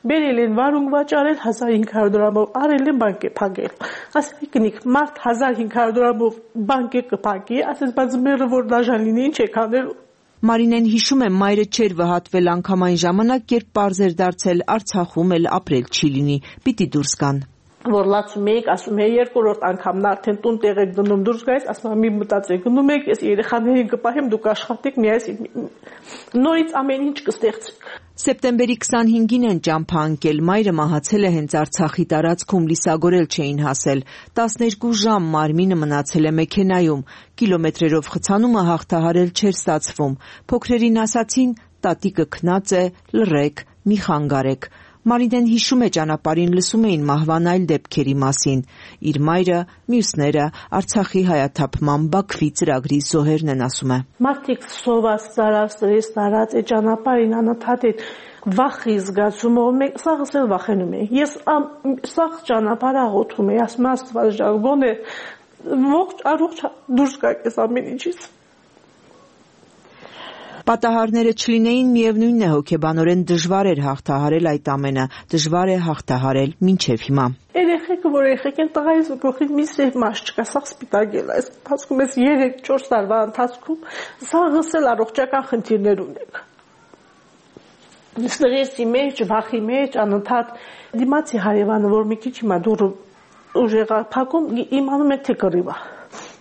բերել են վարունգ վաճառել 1500 դրամով, արել են բանկե փակել։ Ասել կնիկ մարդ 1500 դրամով բանկե կփակի, ասես բայց մերը որ դաժան լինի, ինչ եք անելու։ Մարինեն հիշում է, մայրը չէր վհատվել անգամ այն ժամանակ, երբ պարզ էր դարձել Արցախում էլ ապրել չի լինի, պիտի դուրս գան։ Որ լացում էիք, ասում էի երկրորդ անգամն արդեն տուն տեղ եք դնում դուրս գայիս, ասում եմ մի մտածեք, գնում եք, ես երեխաներին կպահեմ, դուք աշխատեք, նորից ամեն ինչ կստեղծեք։ Սեպտեմբերի 25-ին են ճամփա ընկել, մայրը մահացել է հենց Արցախի տարածքում, լիսագորել չէին հասել, 12 ժամ մարմինը մնացել է մեքենայում, կիլոմետրերով խցանումը հաղթահարել չէր ստացվում, փոքրերին ասացին, տատիկը քնած է, լռեք, մի խանգարեք։ Մարինեն հիշում է ճանապարհին լսում էին մահվան այլ դեպքերի մասին։ Իր մայրը, մյուսները Արցախի հայաթափման Բաքվի ծրագրի զոհերն են, ասում է։ Մարդիկ սոված ծարած տարած է ճանապարհին անընդհատ վախի զգացումով մենք սաղս էլ վախենում ենք։ Ես սաղ ճանապարհ աղոթում եմ, ասում Աստված ջան, գոնե ողջ առողջ դուրս գաք այս ամեն ինչից։ Պատահարները չլինեին, միևնույնն է հոգեբանորեն դժվար էր հաղթահարել այդ ամենը, դժվար է հաղթահարել մինչև հիմա։ Երեխեքը, որ երեխեք են տղայից գլխի մի սև մաս չկա, սաղ սպիտակել է, ընթացքում ես 3-4 տարվա ընթացքում սաղս էլ առողջական խնդիրներ ունենք։ Ստրեսի մեջ, վախի մեջ, անընդհատ դիմացի հարևանը, որ մի քիչ հիմա դուրը ուժեղ փակում, իմանում եք թե կռիվ է։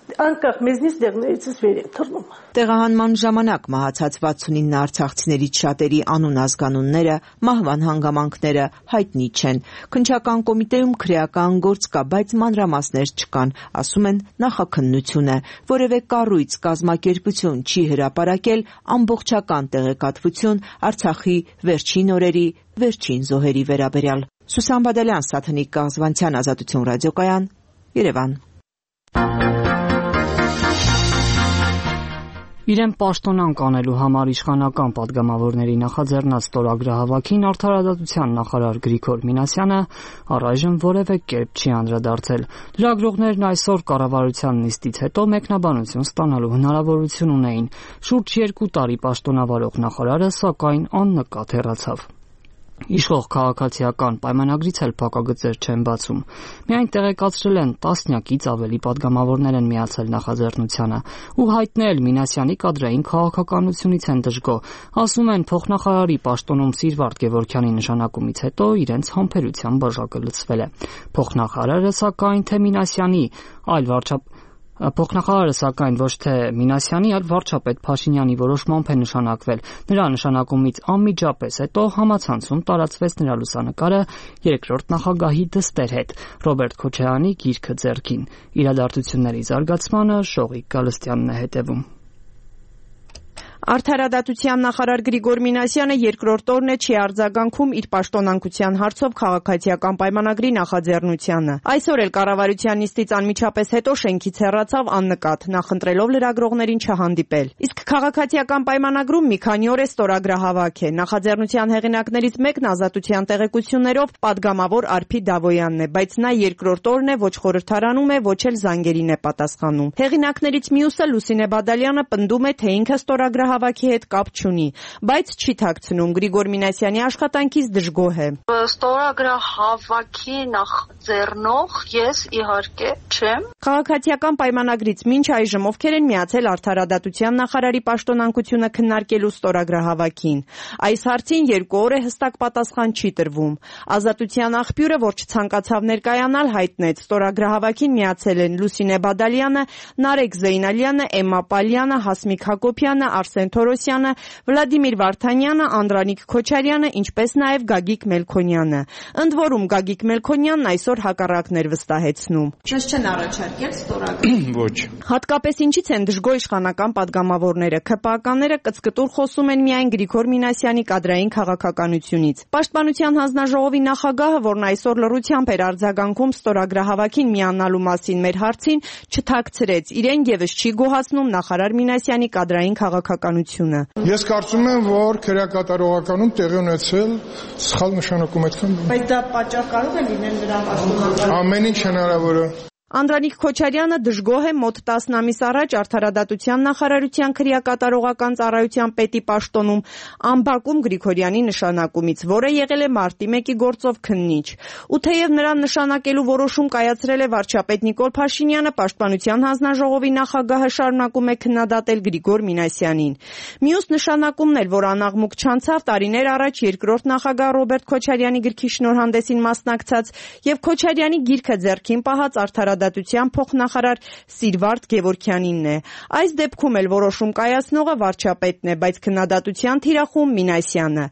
Անկախ մեզնից դեղներից վեր են թռնում։ Տեղահանման ժամանակ մահացած 69 արցախցիներից շատերի անուն ազգանունները, մահվան հանգամանքները հայտնի չեն։ Քննչական կոմիտեում քրեական գործ կա, բայց մանրամասներ չկան, ասում են նախաքննություն է, որևէ կառույց, կազմակերպություն չի հրապարակել ամբողջական տեղեկատվություն Արցախի վերջին օրերի, վերջին զոհերի վերաբերյալ։ Սուսան Բադալյան, Սաթնիկ Կաղզվանցյան, Ազատություն ռադիոկայան, Երևան։ Իրեն պաշտոնանկ անելու համար իշխանական падգամավորների նախաձեռնած ստորագրահավաքին արդարադատության նախարար Գրիգոր Մինասյանը առայժմ որևէ կերպ չի անդրադարձել։ Լրագրողներն այսօր կառավարության նիստից հետո մեկնաբանություն ստանալու հնարավորություն ունեին։ Շուրջ 2 տարի պաշտոնավարող նախարարը սակայն աննկատ հեռացավ։ Իշխող քաղաքացիական պայմանագրից էլ փակագծեր չեն բացում։ Միայն տեղեկացրել են տասնյակից ավելի падգամավորներ են միացել նախաձեռնությանը ու հայտնել Մինասյանի կադրային քաղաքականությունից են դժգոհ։ Ասում են փոխնախարարի պաշտոնում Սիրվարդ Գևորգյանի նշանակումից հետո իրենց համբերության բաժակը լցվել է։ Փոխնախարարը սակայն թե Մինասյանի, Փոխնախարարը սակայն ոչ թե Մինասյանի, այլ վարչապետ Փաշինյանի որոշմամբ է նշանակվել։ Նրա նշանակումից անմիջապես հետո համացանցում տարածվեց նրա լուսանկարը երկրորդ նախագահի դստեր հետ, Ռոբերտ Քոչարյանի գիրքը ձեռքին։ Իրադարձությունների զարգացմանը Շողիկ Գալստյանն է հետևում։ Արդարադատության նախարար Գրիգոր Մինասյանը երկրորդ օրն է չի արձագանքում իր պաշտոնանկության հարցով քաղաքացիական պայմանագրի նախաձեռնությանը։ Այսօր էլ կառավարության նիստից անմիջապես հետո շենքից հեռացավ աննկատ, նախընտրելով լրագրողներին չհանդիպել։ Իսկ քաղաքացիական պայմանագրում մի քանի օր է ստորագրահավաք է։ Նախաձեռնության հեղինակներից մեկն Ազատության տեղեկություններով падգամավոր Արփի Դավոյանն է, բայց նա երկրորդ օրն է ոչ խորհրդարանում է, ոչ էլ զանգերին է պատասխանում։ Հեղինակներից մյուսը Լուսինե Բադալյանը պնդում է, թե ինքը ստորագրահավաքի հետ կապ չունի, բայց չի թաքցնում Գրիգոր Մինասյանի աշխատանքից դժգոհ է։ Ստորագրահավաքի ձեռնող ես իհարկե չեմ։ Քաղաքացիական պայմանագրից մինչ այժմ ովքեր են միացել Արդարադատության նախարարի պաշտոնակությունը քննարկելու ստորագրահավաքին։ Այս հարցին 2 օր է հստակ պատասխան չի տրվում։ Ազատության աղբյուրը, որ չցանկացավ ներկայանալ, հայտնեց ստորագրահավաքին միացել են Լուսինե Բադալյանը, Նարեկ Զեյնալյանը, Էմմա Պալյանը, Հասմիկ Հակոբյանը, Արսեն Թորոսյանը, Վլադիմիր Վարդանյանը, Անդրանիկ Քոչարյանը, ինչպես նաև Գագիկ Մելքոնյանը։ Ընդ որում Գագիկ Մելքոնյանն այսօր հակառակն էր վստահեցնում։ Չես չեն առաջարկել ստորագրել։ Ոչ։ Հատկապես ինչից են դժգոհ իշխանական պատգամավորները։ ՔՊԱ-կանները կծկտուր խոսում են միայն Գրիգոր Մինասյանի կադրային քաղաքականությունից։ Պաշտպանության հանձնաժողովի նախագահը, որն այսօր լռությամբ էր արձագանքում ստորագրահավաքին միանալու մասին մեր հարցին, չթաքցրեց։ Իրեն եւս չի գոհացնում նախարար Մինասյանի կադրային քաղաքականությունը։ Ես կարծում եմ, որ քրեակատարողականում տեղի ունեցել սխալ նշանակում այդքան։ Բայց դա պատճառ կարող է լինել նրա պաշտոնական։ Ամեն ինչ հնարավոր է։ Անդրանիկ Քոչարյանը դժգոհ է մոտ 10 ամիս առաջ Արդարադատության նախարարության քրեակատարողական ծառայության պետի պաշտոնում ամբակում Գրիգորյանի նշանակումից, որը եղել է մարտի 1-ի գործով քննիչ։ Ու թեև նրան նշանակելու որոշում կայացրել է վարչապետ Նիկոլ Փաշինյանը, Պաշտպանության հանձնաժողովի նախագահը շարունակում է քննադատել Գրիգոր Մինասյանին։ Մյուս նշանակումն էլ, որ անաղմուկ չանցավ, տարիներ առաջ երկրորդ նախագահ Ռոբերտ Քոչարյանի գրքի շնորհանդեսին մասնակցած եւ Քոչարյանի գիրքը ձեռքին պահած Արդարադատության փոխնախարար Սիրվարդ Գևորգյանինն է։ Այս դեպքում էլ որոշում կայացնողը վարչապետն է, բայց քննադատության թիրախում Մինասյանը։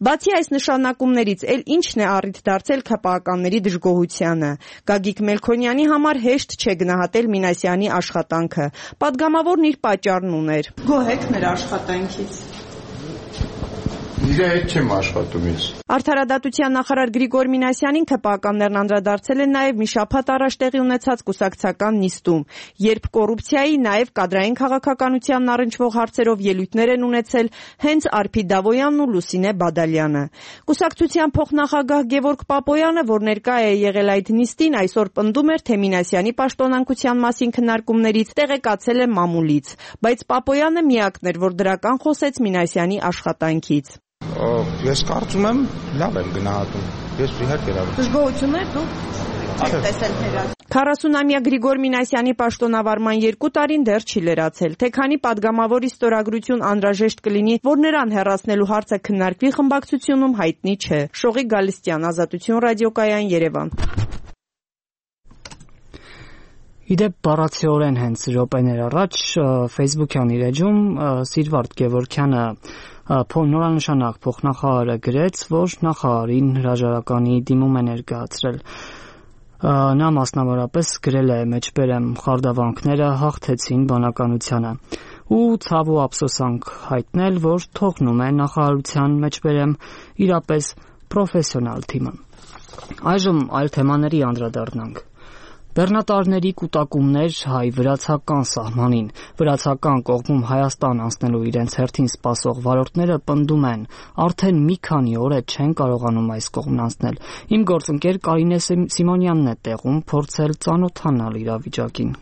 Բացի այս նշանակումներից, էլ ինչն է առիթ դարձել ՔՊԱ-կանների դժգոհությանը։ Գագիկ Մելքոնյանի համար հեշտ չէ գնահատել Մինասյանի աշխատանքը։ Պատգամավորն իր պատճառն ուներ։ Գոհ եք նրա աշխատանքից։ Իր հետ չեմ աշխատում ես։ Արդարադատության նախարար Գրիգոր Մինասյանին ՔՊԱ-կաններն անդրադարձել են նաև մի շաբաթ առաջ տեղի ունեցած կուսակցական նիստում, երբ կոռուպցիայի, նաև կադրային քաղաքականությանն առնչվող հարցերով ելույթներ են ունեցել հենց Արփի Դավոյանն ու Լուսինե Բադալյանը։ Կուսակցության փոխնախագահ Գևորգ Պապոյանը, որ ներկա է եղել այդ նիստին, այսօր պնդում էր, թե Մինասյանի պաշտոնանկության մասին քննարկումներից տեղեկացել է մամուլից, բայց Պապոյանը միակն էր, որ դրական խոսեց Մինասյանի աշխատանքից։ Ես կարծում եմ լավ եմ գնահատում։ Ես իհարկե լավ եմ։ Դժգոհություններ դու տեսել թերած։ 40-ամյա Գրիգոր Մինասյանի պաշտոնավարման 2 տարին դեռ չի լրացել, թե քանի պատգամավորի ստորագրություն անհրաժեշտ կլինի, որ նրան հեռացնելու հարցը քննարկվի խմբակցությունում, հայտնի չէ։ Շողիկ Գալստյան, Ազատություն ռադիոկայան, Երևան։ Իդեպ բառացիորեն հենց րոպեներ առաջ Facebook-յան իր էջում Սիրվարդ Գևորգյանը նորանշանակ փոխնախարարը գրեց, որ նախարարին հրաժարականի դիմում է ներկայացրել։ Նա մասնավորապես գրել է մեջբերեմ խարդավանքները հաղթեցին բանականությանը ու ցավ ու ափսոսանք հայտնել, որ թողնում է նախարարության մեջբերեմ իրապես պրոֆեսիոնալ թիմը։ Այժմ այլ թեմաների անդրադառնանք։ Բեռնատարների կուտակումներ հայ-վրացական սահմանին։ Վրացական կողմում Հայաստան անցնելու իրենց հերթին սպասող վարորդները պնդում են, արդեն մի քանի օր է չեն կարողանում այս կողմն անցնել։ Իմ գործընկեր Կարինե Սիմոնյանն է տեղում փորձել ծանոթանալ իրավիճակին։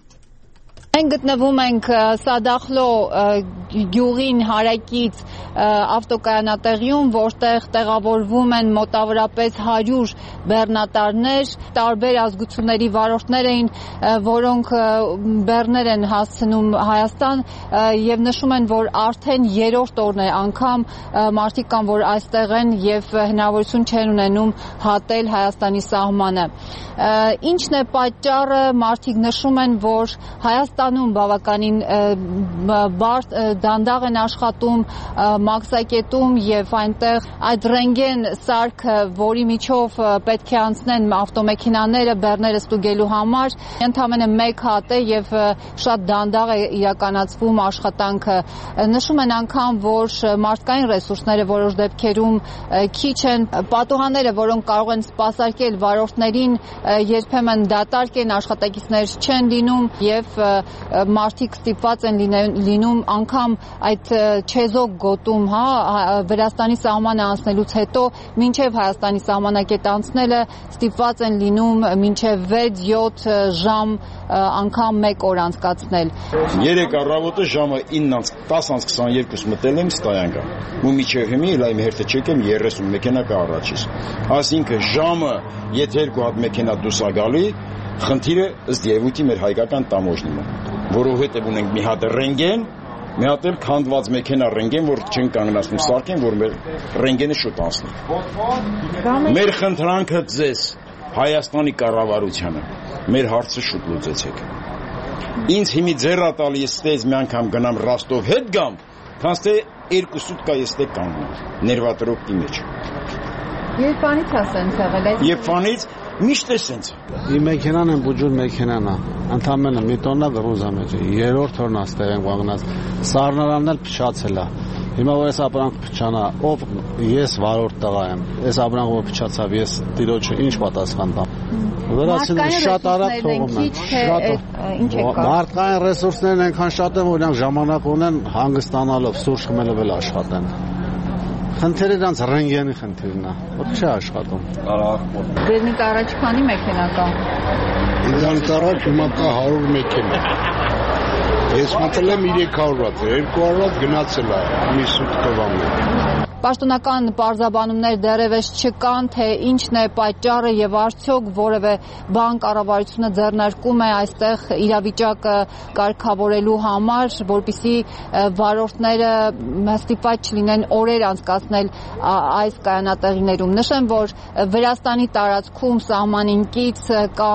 Մենք գտնվում ենք Սադախլո գյուղին հարակից ավտոկայանատեղիում, որտեղ տեղավորվում են մոտավորապես 100 բեռնատարներ, տարբեր ազգությունների վարորդներ էին, որոնք բեռներ են հասցնում Հայաստան եւ նշում են, որ արդեն 3-րդ օրն է անգամ մարդիկ կան, որ այստեղ են եւ հնարավորություն չեն ունենում հատել Հայաստանի սահմանը։ Ինչն է պատճառը, մարդիկ նշում են, որ Հայաստանում բավականին դանդաղ են աշխատում մաքսակետում եւ այնտեղ այդ ռենտգեն սարքը, որի միջով պետք է անցնեն ավտոմեքենաները բեռները ստուգելու համար, ընդամենը 1 հատ է եւ շատ դանդաղ է իրականացվում աշխատանքը։ Նշում են անգամ, որ մարդկային ռեսուրսները որոշ դեպքերում քիչ են, պատուհանները, որոնք կարող են սպասարկել վարորդներին, երբեմն դատարկ են, աշխատակիցներ չեն լինում եւ մարդիկ ստիպված են լինում անգամ այդ չեզոք գոտում, Վրաստանի սահմանը անցնելուց հետո մինչև Հայաստանի սահմանակետ անցնելը ստիպված են լինում մինչև 6-7 ժամ անգամ 1 օր անցկացնել։ 3 առավոտը ժամը 10:22 մտել եմ ստայանքա։ Ու միջև հիմի լայմ հերթը չեկեմ 30 մեքենա կա առաջից։ Այսինքն ժամը եթե 2 հատ մեքենա դուրս ա գալի, խնդիրը ըստ երևույթի մեր հայկական տամոժնին է, որովհետև ունենք մի հատ ռենգեն, մի հատ էլ քանդված մեքենա ռենգեն, որ չեն կանգնացնում սարքեն, որ մեր ռենգենը շուտ անցնի։ Մեր խնդրանքը ձեզ Հայաստանի կառավարությանը մեր հարցը շուտ լուծեցեք։ Ինձ հիմի ձեռա տալի ստեյց մի անգամ գնամ Ռոստով հետ գամ, քանց թե 2 սուտկա եստե կանգնում ներվատրոպի մեջ։ Երբանից է սենց եղել այս։ Երբանից միշտ է սենց։ Իմ մեքենան եմ բուջուր մեքենան է։ Ընդամենը մի տոննա գրուզա մեջ է։ Երրորդ օրն աստեղ եմ կանգնած։ Սառնարանն էլ փչացել է։ Հիմա որ ես ապրանք փչանա, ով ես վարորդ տղա եմ։ Այս ապրանքը փչացավ, ես տիրոջը ինչ պատասխան տամ։ Վրացիները շատ արագ թողում են։ Մարդկային ռեսուրսներն այնքան շատ են, որ նրանք ժամանակ ունեն հանգստանալով, սուրճ խմելով էլ աշխատեն։ Խնդիրը դրանց ռենգենի խնդիրն է, որ չի աշխատում։ Ձերնից առաջ քանի մեքենա կա։ Ինձանից առաջ հիմա կա 100 մեքենա։ Ես մտել եմ 300 վատ, 200 վատ գնացել է, մի սուտկովա մեջ։ Պաշտոնական պարզաբանումներ դեռևս չկան, թե ինչն է պատճառը եւ արդյոք որևէ բան կառավարությունը ձեռնարկում է այստեղ իրավիճակը կարգավորելու համար, որպեսզի վարորդները ստիպված չլինեն օրեր անցկացնել այս կայանատեղիներում։ Նշեմ, որ Վրաստանի տարածքում սահմանին կից կա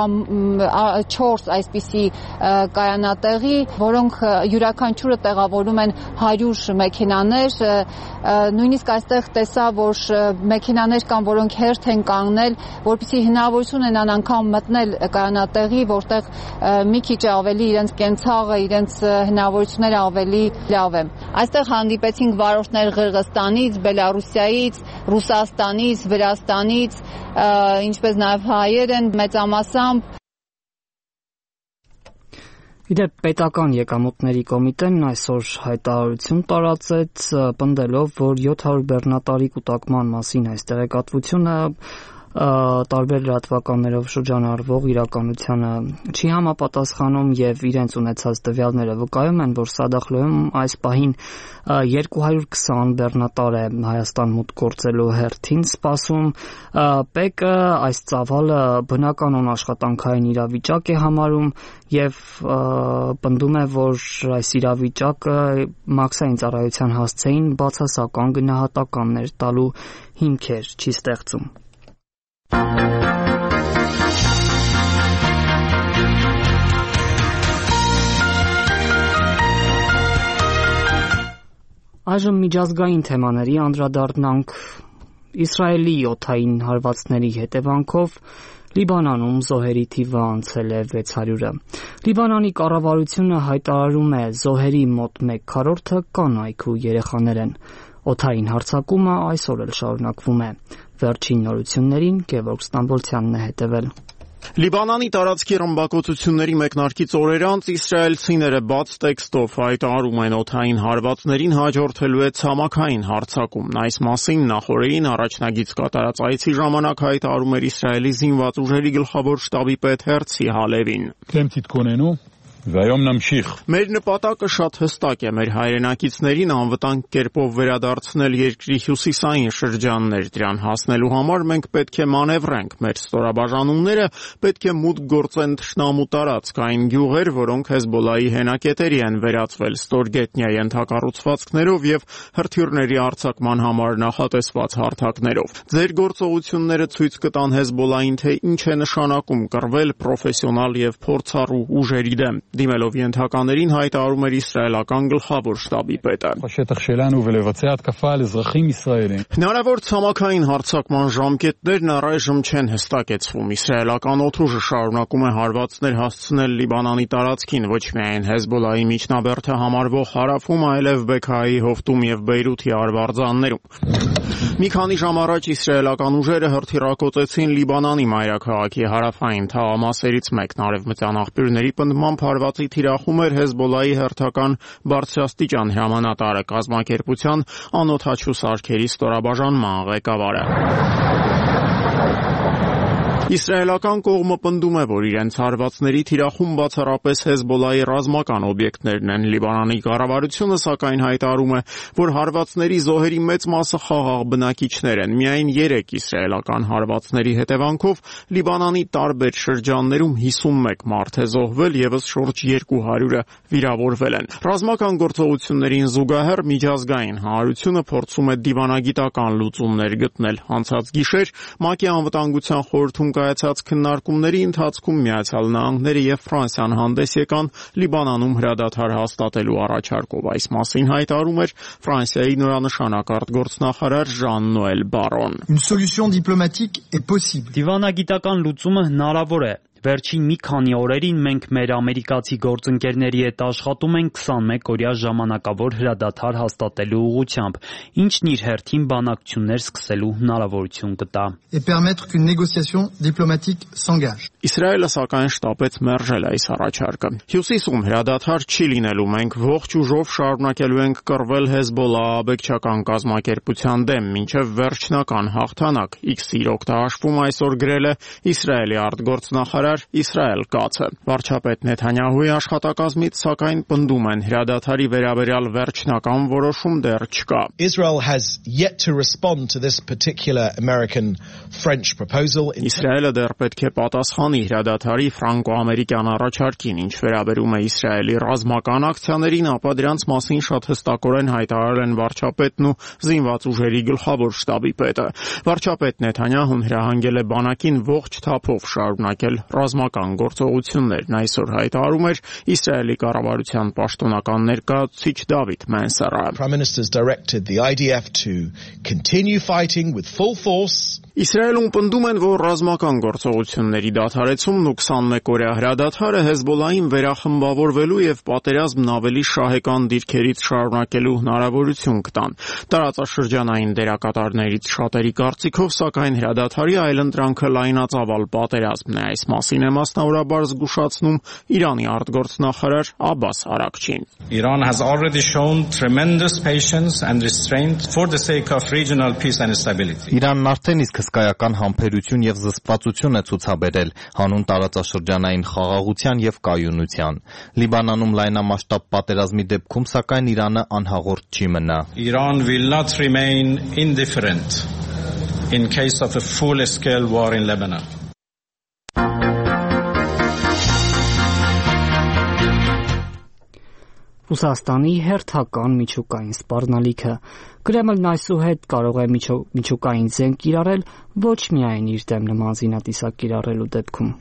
4 այսպիսի կայանատեղի, որոնք յուրաքանչյուրը տեղավորում են 100 մեքենաներ, նույնիսկ այստեղ տեսա, որ մեքենաներ կան, որոնք հերթ են կանգնել, որպեսզի հնարավորություն ունենան անգամ մտնել կայանատեղի, որտեղ մի քիչ ավելի իրենց կենցաղը, իրենց հնարավորությունները ավելի լավ է։ Այստեղ հանդիպեցինք վարորդներ Ղրղստանից, Բելարուսիայից, Ռուսաստանից, Վրաստանից, ինչպես նաև հայեր են մեծամասամբ։ Իդեպ պետական եկամուտների կոմիտեն այսօր հայտարարություն տարածեց, պնդելով, որ 700 բեռնատարի կուտակման մասին այս տեղեկատվությունը տարբեր լրատվականներով շրջանառվող իրականությանը չի համապատասխանում եւ իրենց ունեցած տվյալները վկայում են, որ Սադախլոյում այս պահին 220 բեռնատար է Հայաստան մուտք գործելու հերթին սպասում։ ՊԵԿ-ը այս ծավալը բնականon աշխատանքային իրավիճակ է համարում եւ պնդում է, որ այս իրավիճակը մաքսային ծառայության հասցեին բացասական գնահատականներ տալու հիմքեր չի ստեղծում։ Այժմ միջազգային թեմաների անդրադառնանք։ Իսրայելի օդային հարվածների հետևանքով Լիբանանում զոհերի թիվը անցել է 600-ը։ Լիբանանի կառավարությունը հայտարարում է զոհերի մոտ 1/4-ը կանայք ու երեխաներ են։ Օդային հարձակումը այսօր էլ շարունակվում է։ Վերջին նորություններին Գևորգ Ստամբոլցյանն է հետևել։ Լիբանանի տարածքի ռմբակոծությունների մեկնարկից օրեր անց իսրայելցիները բաց տեքստով հայտարարում են օդային հարվածներին հաջորդելու է ցամաքային հարձակում։ Այս մասին նախորդին առաջնագիծ կատարած այցի ժամանակ հայտարարում էր Իսրայելի զինված ուժերի գլխավոր շտաբի պետ Հերցի Հալևին։ Մեր նպատակը շատ հստակ է, մեր հայրենակիցներին անվտանգ կերպով վերադարձնել երկրի հյուսիսային շրջաններ, դրան հասնելու համար մենք պետք է մանևրենք, մեր ստորաբաժանումները պետք է մուտք գործեն թշնամու տարածք, այն գյուղեր, որոնք Հեզբոլայի հենակետերի են վերածվել ստորգետնյա ենթակառուցվածքներով եւ հրթիռների արձակման համար նախատեսված հարթակներով։ Ձեր գործողությունները ցույց կտան Հեզբոլային, թե ինչ է նշանակում կռվել պրոֆեսիոնալ եւ փորձառու ուժերի դեմ։ Դիմելով ենթականերին հայտարարում էր իսրայելական գլխավոր շտաբի պետը։ Հնարավոր ցամաքային հարձակման ժամկետներն առայժմ չեն հստակեցվում։ Իսրայելական օդուժը շարունակում է հարվածներ հասցնել Լիբանանի տարածքին, ոչ միայն Հեզբոլայի միջնաբերդը համարվող հարավում, այլև Բեքայի հովտում եւ Բեյրութի արվարձաններում։ Մի քանի ժամ առաջ իսրայելական ուժերը հրթիռակոծեցին Լիբանանի մայրաքաղաքի հարավային թաղամասերից մեկն արևմտյան աղբյուրների պնդմամբ հարվածի թիրախում էր Հեզբոլլահի հերթական բարձրաստիճան հրամանատարը, կազմակերպության անօդաչու սարքերի ստորաբաժանման ղեկավարը։ Իսրայելական կողմը պնդում է, որ իրենց հարվածների թիրախում բացառապես Հեզբոլլահի ռազմական օբյեկտներն են։ Լիբանանի կառավարությունը սակայն հայտարարում է, որ հարվածների զոհերի մեծ մասը խաղաղ բնակիչներ են։ Միայն 3 իսրայելական հարվածների հետևանքով Լիբանանի տարբեր շրջաններում 51 մարդ է զոհվել, եւս շուրջ 200-ը վիրավորվել են։ Ռազմական գործողություններին զուգահեռ միջազգային հանրությունը փորձում է դիվանագիտական լուծումներ գտնել։ Անցած գիշեր ՄԱԿ-ի անվտանգության խորհրդում կայացած քննարկումների ընթացքում Միացյալ Նահանգները եւ Ֆրանսիան հանդես եկան Լիբանանում հրադադար հաստատելու առաջարկով։ Այս մասին հայտարարում էր Ֆրանսիայի նորանշանակ արտգործնախարար Ժան-Նոել Բարոն։ Une solution diplomatique est possible. Դիվանագիտական լուծումը հնարավոր է։ Վերջին մի քանի օրերին մենք մեր ամերիկացի գործընկերների հետ աշխատում ենք 21-օրյա ժամանակավոր հրադադար հաստատելու ուղղությամբ, ինչն իր հերթին բանակցություններ սկսելու հնարավորություն կտա։ Et permettre qu'une négociation diplomatique s'engage. Իսրայելը սակայն շտապեց մերժել այս առաջարկը։ Հյուսիսում հրադադար չի լինելու, մենք ողջ ուժով շարունակելու ենք կռվել Հեզբոլլահ աբեկչական կազմակերպության դեմ, մինչև վերջնական հաղթանակ, X-ի օգտահաշվում այսօր գրել է Իսրայելի արտգործնախարար Իսրայել Կացը։ Վարչապետ Նեթանյահուի աշխատակազմից սակայն պնդում են հրադադարի վերաբերյալ վերջնական որոշում դեռ չկա։ Israel has yet to respond to this particular American-French proposal. Իսրայելը դեռ պետք է պատասխանի հրադադարի ֆրանկո-ամերիկյան առաջարկին, ինչ վերաբերում է Իսրայելի ռազմական ակցիաներին, ապա դրանց մասին շատ հստակորեն հայտարարել են վարչապետն ու զինված ուժերի գլխավոր շտաբի պետը։ Վարչապետ Նեթանյահուն հրահանգել է բանակին ողջ թափով շարունակել ռազմական գործողություններն այսօր հայտարարում էր Իսրայելի կառավարության պաշտոնական ներկայացուցիչ Դավիթ Մենսերը։ Prime Minister's directed the IDF to continue fighting with full force. Իսրայելում պնդում են, որ ռազմական գործողությունների դադարեցումն ու 21-օրյա հրադադարը Հեզբոլլահին վերախմբավորվելու եւ պատերազմն ավելի շահեկան դիրքերից շարունակելու հնարավորություն կտան։ Տարածաշրջանային դերակատարներից շատերի կարծիքով, սակայն հրադադարի այլընտրանքը լայնածավալ պատերազմն է։ Այս մասին է մասնավորաբար զգուշացնում Իրանի արտգործնախարար Աբբաս Արաքչին։ Iran has already shown tremendous patience and restraint for the sake of regional peace and stability. Իրանն արդեն իսկ հսկայական համբերություն եւ զսպվածություն է ցուցաբերել հանուն տարածաշրջանային խաղաղության եւ կայունության։ Լիբանանում լայնամասշտաբ պատերազմի դեպքում սակայն Իրանը անհաղորդ չի մնա։ Iran will not remain indifferent in case of a full-scale war in Lebanon. Ռուսաստանի հերթական միջուկային սպառնալիքը Կրեմլն այսուհետ կարող է միջուկային զենք կիրառել ոչ միայն իր դեմ նման զինատիսակ կիրառելու դեպքում։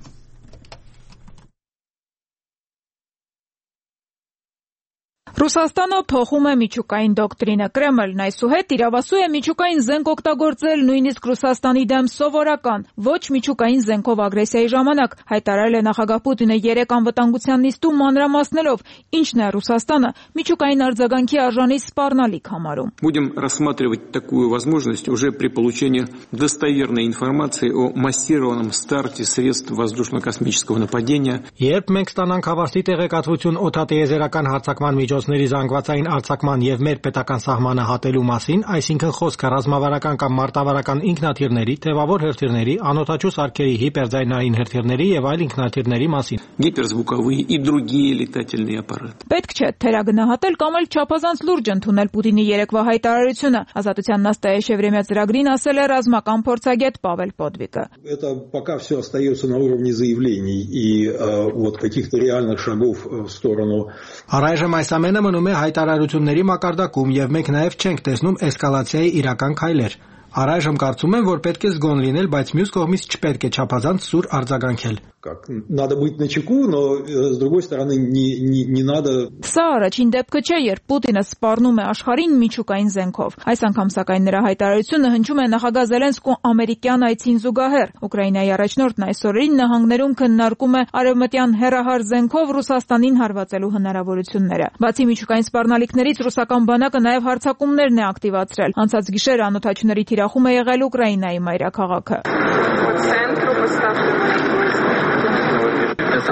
Ռուսաստանը փոխում է միջուկային դոկտրինը։ Կրեմլն այսուհետ իրավասու է միջուկային զենք օգտագործել նույնիսկ Ռուսաստանի դեմ սովորական, ոչ միջուկային զենքով ագրեսիայի ժամանակ, հայտարարել է նախագահ Պուտինը 3 անվտանգության նիստում մանրամասնելով, ինչն է Ռուսաստանը միջուկային արձագանքի արժանի սպառնալիք համարում։ Будем рассматривать такую возможность уже при получении достоверной информации о массированном старте средств воздушно-космического нападения. Երբ մենք ստանանք հավաստի տեղեկատվություն օդատիեզերական հարձակման միջոցների զանգվածային արձակման եւ մեր պետական սահմանը հատելու մասին, այսինքն խոսքը ռազմավարական կամ մարտավարական ինքնաթիռների, թևավոր հրթիռների, անօդաչու սարքերի, հիպերձայնային հրթիռների եւ այլ ինքնաթիռների մասին։ Гиперзвуковые и другие летательные аппараты. Պետք չէ թերագնահատել կամ էլ չափազանց լուրջ ընդունել Պուտինի երեկվա հայտարարությունը։ Ազատության Նաստայեշևրեմյա ծրագրին ասել է ռազմական փորձագետ Պավել Պոդվիկը։ Это пока все остается на уровне заявлений и вот каких-то реальных шагов в сторону. Առայժմ այս ամենը մնում է հայտարարությունների մակարդակում եւ մենք նաեւ չենք տեսնում էսկալացիայի իրական քայլեր։ Առայժմ կարծում եմ, որ պետք է զգոն լինել, բայց մյուս կողմից չպետք է չափազանց սուր արձագանքել։ Надо быть начеку, но с другой стороны не надо. Սա առաջին դեպքը չէ, երբ Պուտինը սպառնում է աշխարհին միջուկային զենքով։ Այս անգամ սակայն նրա հայտարարությունը հնչում է նախագահ Զելենսկու ամերիկյան այցին զուգահեռ։ Ուկրաինայի առաջնորդն այս օրերին նահանգներում քննարկում է արևմտյան հեռահար զենքով Ռուսաստանին հարվածելու հնարավորությունները։ Բացի միջուկային սպառնալիքներից ռուսական բանակը նաև հարձակումներն է ակտիվացրել։ Անցած գիշեր անօդաչուների թիրախում է եղել Ուկրաինայի մայրաքաղաքը։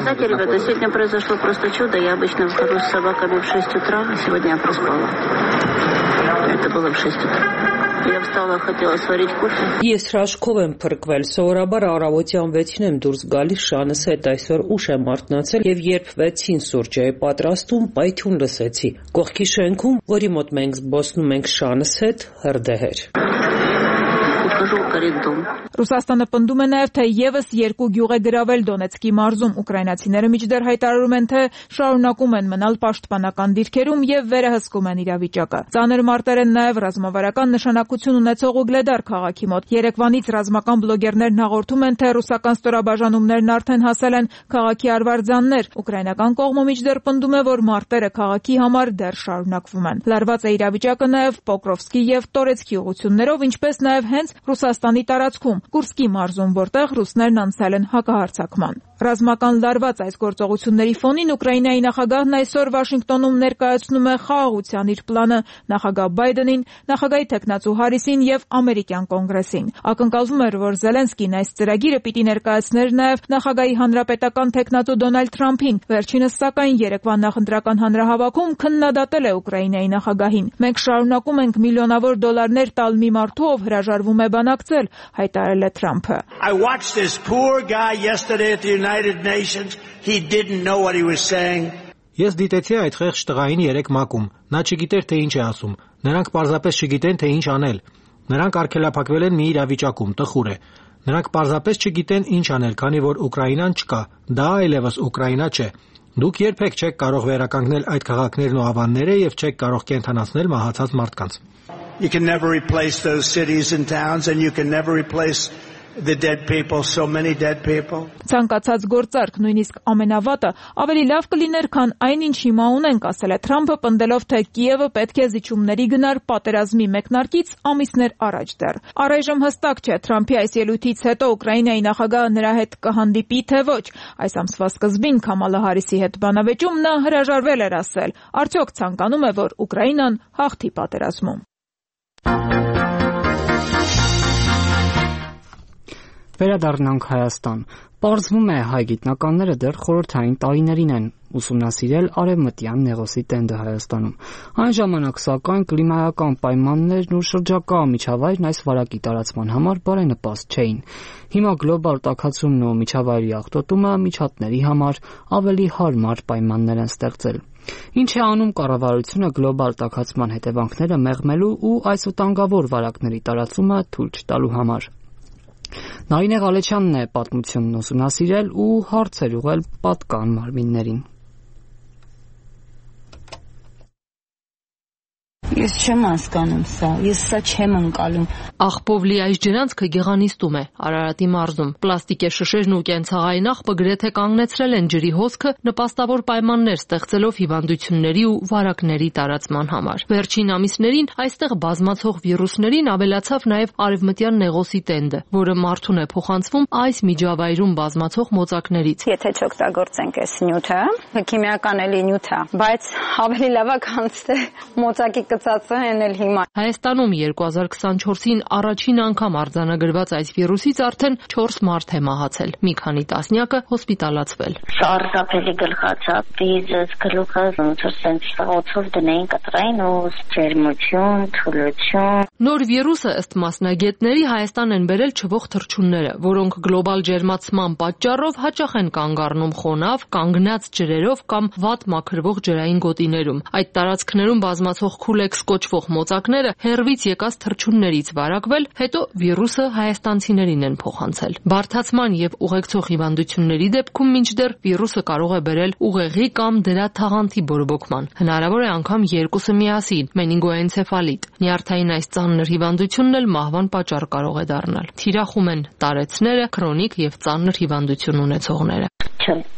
Знаете, ребята, сегодня произошло просто чудо. Я обычно выхожу с собаками в 6 утра, а сегодня я проспала. Это было в 6 утра. Я встала, хотела сварить кофе. Ես հրաշքով եմ փրկվել, սովորաբար առավոտյան 6-ին եմ դուրս գալիս շանս հետ, այսօր ուշ եմ արթնացել եւ երբ 6-ին սուրճ էի պատրաստում, պայթյուն լսեցի։ Կողքի շենքում, որի մոտ մենք զբոսնում ենք շանս հետ, հրդեհ էր։ Ռուսաստանը պնդում է նաև, թե եւս 2 գյուղ է գրավել Դոնեցկի մարզում։ Ուկրաինացիները միջդեռ հայտարարում են, թե շարունակում են մնալ պաշտպանական դիրքերում եւ վերահսկում են իրավիճակը։ Ծանր մարտեր են նաև ռազմավարական նշանակություն ունեցող Ուգլեդար քաղաքի մոտ։ Երեկվանից ռազմական բլոգերներն հաղորդում են, թե ռուսական ստորաբաժանումներն արդեն հասել են քաղաքի արվարձաններ։ Ուկրաինական կողմը միջդեռ պնդում է, որ մարտերը քաղաքի համար դեռ շարունակվում են։ Լարված է իրավիճակը նաև Պոկրովսկի եւ Տորեցկի ուղություններով, ինչպես նաև հենց Ռուսաստանի տարածքում, Կուրսկի մարզում, որտեղ ռուսներն անցել են հակահարձակման։ Ռազմական լարված այս գործողությունների ֆոնին Ուկրաինայի նախագահն այսօր Վաշինգտոնում ներկայացնում է խաղաղության իր պլանը նախագահ Բայդենին, նախագահի թեկնածու Հարիսին եւ ամերիկյան կոնգրեսին։ Ակնկալվում էր, որ Զելենսկին այս ծրագիրը պիտի ներկայացներ նաև նախագահի հանրապետական թեկնածու Դոնալդ Թրամփին։ Վերջինս սակայն երեկվա նախընտրական հանրահավաքում քննադատել է Ուկրաինայի նախագահին։ Մենք շարունակում ենք միլիոնավոր դոլարներ տալ մի մարդու, ով հրաժարվում է բանակցել, հայտարարել է Թրամփը։ I watched this poor guy yesterday at the United Nations. He didn't know what he was saying. Ես դիտեցի այդ խեղճ տղային 3 մակում։ Նա չգիտեր թե ինչ է ասում։ Նրանք պարզապես չգիտեն թե ինչ անել։ Նրանք արգելափակվել են մի իրավիճակում, տխուր է։ Նրանք պարզապես չգիտեն ինչ անել, քանի որ Ուկրաինան չկա։ Դա այլևս Ուկրաինա չէ։ Դուք երբեք չեք կարող վերականգնել այդ քաղաքներն ու ավանները եւ չեք կարող կենթանացնել մահացած մարդկանց։ You can never replace those cities and towns and you can never replace the dead people, so many dead people. Ցանկացած գործարք, նույնիսկ ամենավատը, ավելի լավ կլիներ, քան այն, ինչ հիմա ունենք, ասել է Թրամփը, պնդելով, թե Կիևը պետք է զիջումների գնար պատերազմի մեկնարկից ամիսներ առաջ դեռ։ Առայժմ հստակ չէ Թրամփի այս ելույթից հետո Ուկրաինայի նախագահը նրա հետ կհանդիպի, թե ոչ։ Այս ամսվա սկզբին Քամալա Հարիսի հետ բանավեճում նա հրաժարվել էր ասել, արդյոք ցանկանում է, որ Ուկրաինան հաղթի պատերազմում։ Վերադառնանք Հայաստան։ Պարզվում է, հայ գիտնականները դեռ խորհրդային տարիներին են ուսումնասիրել արևմտյան Նեղոսի տենդը Հայաստանում։ Այն ժամանակ, սակայն, կլիմայական պայմաններն ու շրջակա միջավայրն այս վարակի տարածման համար բարենպաստ չէին։ Հիմա գլոբալ տաքացումն ու միջավայրի աղտոտումը միջատների համար ավելի հարմար պայմաններ են ստեղծել։ Ինչ է անում կառավարությունը գլոբալ տաքացման հետևանքները մեղմելու ու այս վտանգավոր վարակների տարածումը թույլ չտալու համար։ Նարինե Ղալեչյանն է պատմությունն ուսումնասիրել ու հարցեր ուղղել պատկան մարմիններին։ Ես չեմ հասկանում սա, ես սա չեմ ընկալում։ Աղբով լի այս ջրանցքը գեղանիստում է, Արարատի մարզում։ Պլաստիկե շշերն ու կենցաղային աղբը գրեթե կանգնեցրել են ջրի հոսքը, նպաստավոր պայմաններ ստեղծելով հիվանդությունների ու վարակների տարածման համար։ Վերջին ամիսներին այստեղ բազմացող վիրուսներին ավելացավ նաև արևմտյան Նեղոսի տենդը, որը մարդուն է փոխանցվում այս միջավայրում բազմացող մոծակներից։ Եթե չօգտագործենք այս նյութը, քիմիական էլի նյութ է, բայց ավելի լավ է կանցնի մոծակի Հայաստանում 2024-ին առաջին անգամ արձանագրված այս վիրուսից արդեն 4 մարդ է մահացել, մի քանի տասնյակը հոսպիտալացվել։ Սարսափելի գլխացավ, դիզս, գլուխը ոնց սենց օծով դնեին կտրային ու ջերմություն, թուլություն։ Նոր վիրուսը ըստ մասնագետների Հայաստան են բերել չվող թռչունները, որոնք գլոբալ ջերմացման պատճառով հաճախ են կանգ առնում խոնավ, կանգնած ջրերով կամ վատ մաքրվող ջրային գոտիներում։ Այդ տարածքներում բազմացող քուլեքս կոչվող մոծակները հերվից եկած թռչուններից վարակվել, հետո վիրուսը հայաստանցիներին են փոխանցել։ Բարդացման եւ ուղեկցող հիվանդությունների դեպքում մինչդեռ վիրուսը կարող է բերել ուղեղի կամ դրա թաղանթի բորբոքման։ Հնարավոր է անգամ երկուսը միասին՝ մենինգոենցեֆալիտ։ Նյարդային այս ծանր հիվանդությունն էլ մահվան պատճառ կարող է դառնալ։ Թիրախում են տարեցները, քրոնիկ եւ ծանր հիվանդություն ունեցողները։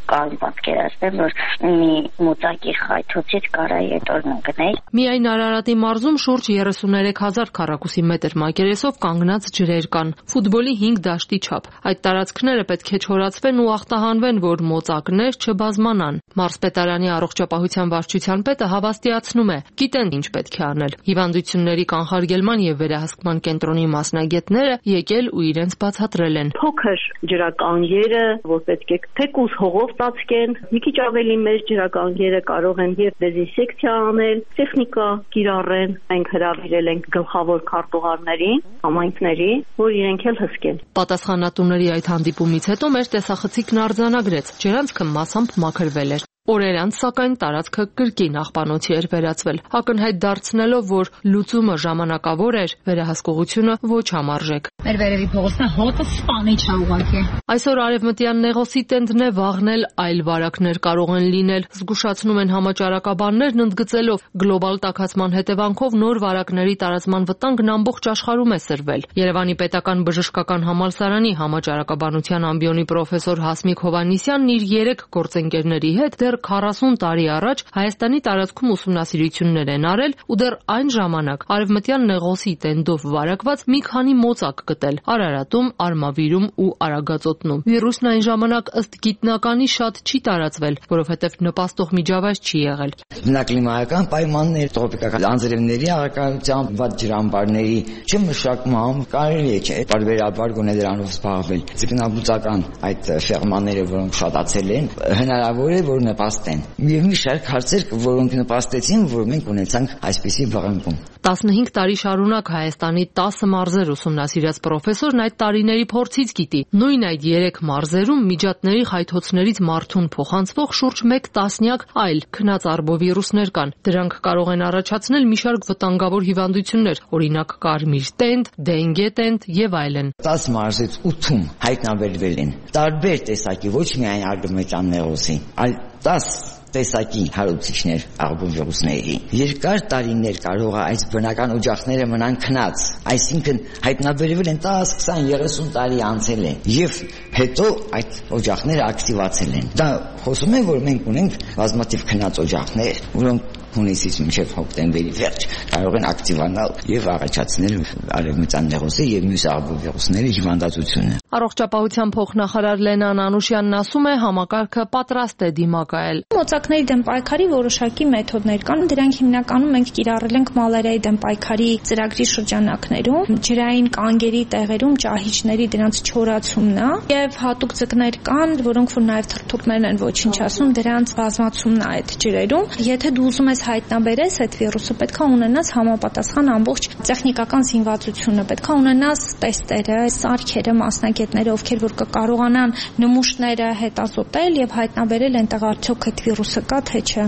Կարող պատկերացնել, որ մի մոծակի խայթոցից կարա ետորն ընկնել։ Միայն Արարատի մարզում շուրջ 33,000 քառակուսի մետր մակերեսով կանգնած ջրեր կան, ֆուտբոլի 5 դաշտի չափ։ Այդ տարածքները պետք է չորացվեն ու ախտահանվեն, որ մոծակներ չբազմանան։ Մարզպետարանի առողջապահության վարչության պետը հավաստիացնում է, գիտեն ինչ պետք է անել։ Հիվանդությունների կանխարգելման եւ վերահսկման կենտրոնի մասնագետները եկել ու իրենց բացատրել են։ Փոքր ջրականգերը, որ պետք է թեկուզ հողով ծածկեն, մի քիչ ավելի մեծ ջրականգերը կարող են եւ դեզինսեկցիա անել, տեխնիկա կիրառեն։ Մենք հրավիրել ենք գլխավոր քարտուղարներին, համայնքների, որ իրենք էլ հսկեն։ Պատասխանատուների այդ հանդիպումից հետո մեր տեսախցիկն արձանագրեց, ջրանցքը մասամբ մաքրվել էր։ Օրեր անց, սակայն, տարածքը կրկին աղբանոցի էր վերածվել, ակնհայտ դարձնելով, որ լուծումը ժամանակավոր էր, վերահսկողությունը ոչ համարժեք։ Մեր վերևի փողոցն հոտը սպանիչ է ուղղակի։ Այսօր արևմտյան Նեղոսի տենդն է վաղնել, այլ վարակներ կարող են լինել, զգուշացնում են համաճարակաբաններն, ընդգծելով գլոբալ տաքացման հետևանքով նոր վարակների տարածման վտանգն ամբողջ աշխարհում է սրվել։ Երևանի պետական բժշկական համալսարանի համաճարակաբանության ամբիոնի պրոֆեսոր Հասմիկ Հովհաննիսյանն իր 3 գործընկերների հետ դեռ 40 տարի առաջ Հայաստանի տարածքում ուսումնասիրություններ են արել ու դեռ այն ժամանակ արևմտյան Նեղոսի տենդով վարակված մի քանի մոծակ գտել Արարատում, Արմավիրում ու Արագածոտնում։ Վիրուսն այն ժամանակ ըստ գիտնականի շատ չի տարածվել, որովհետև նպաստող միջավայր չի եղել։ Բնակլիմայական պայմաններ, տրոպիկական անձրևների առկայությամբ, վատ ջրամբարների չմշակմամբ կարելի է չէ բարբերաբար գոնե դրանով զբաղվել։ Ձկնաբուծական այդ ֆերմաները, որոնք շատացել են, հնարավոր է որ նպաստեն։ Եվ մի շարք հարցեր, որոնք նպաստեցին, որ մենք ունեցանք այսպիսի վղանքում։ 15 տարի շարունակ Հայաստանի 10 մարզեր ուսումնասիրած պրոֆեսորն այդ տարիների փորձից գիտի։ Նույն այդ 3 մարզերում միջատների խայթոցներից մարդուն փոխանցվող շուրջ 1 տասնյակ այլ քնած արբովիրուսներ կան։ Դրանք կարող են առաջացնել մի շարք վտանգավոր հիվանդություններ, օրինակ կարմիր տենդ, դենգե տենդ եւ այլն։ 10 մարզից 8-ում հայտնաբերվել են տարբեր տեսակի, ոչ միայն արևմտյան Նեղոսի, այլ 10 տեսակի հարուցիչներ արբովիրուսների։ Երկար տարիներ կարող է այս բնական օջախները մնան քնած, այսինքն հայտնաբերվել են 10, 20, 30 տարի անցել է եւ հետո այդ օջախները ակտիվացել են։ Դա խոսում է, որ մենք ունենք բազմաթիվ քնած օջախներ, որոնք հունիսից մինչև հոկտեմբերի վերջ կարող են ակտիվանալ եւ առաջացնել արևմտյան Նեղոսի եւ մյուս արբովիրուսների հիվանդացությունը։ Առողջապահության փոխնախարար Լենան Անուշյանն ասում է, համակարգը պատրաստ է դիմակայել։ Մոծակների դեմ պայքարի որոշակի մեթոդներ կան, դրանք հիմնականում մենք կիրառել ենք մալարիայի դեմ պայքարի ծրագրի շրջանակներում, ջրային կանգերի տեղերում ճահիճների դրանց չորացումն է եւ հատուկ ձկներ կան, որոնք որ նաեւ թրթուրներն են ոչինչ ասում, դրանց բազմացումն է այդ ջրերում։ Եթե դու ուզում ես հայտնաբերես այդ վիրուսը, պետք է ունենաս համապատասխան ամբողջ տեխնիկական զինվածությունը, պետք է ունենաս տեստերը, սարքերը, մասնագետները, ովքեր որ կկարողանան նմուշները հետազոտել եւ հայտնաբերել այնտեղ արդյոք այդ վիրուսը կա թե չէ։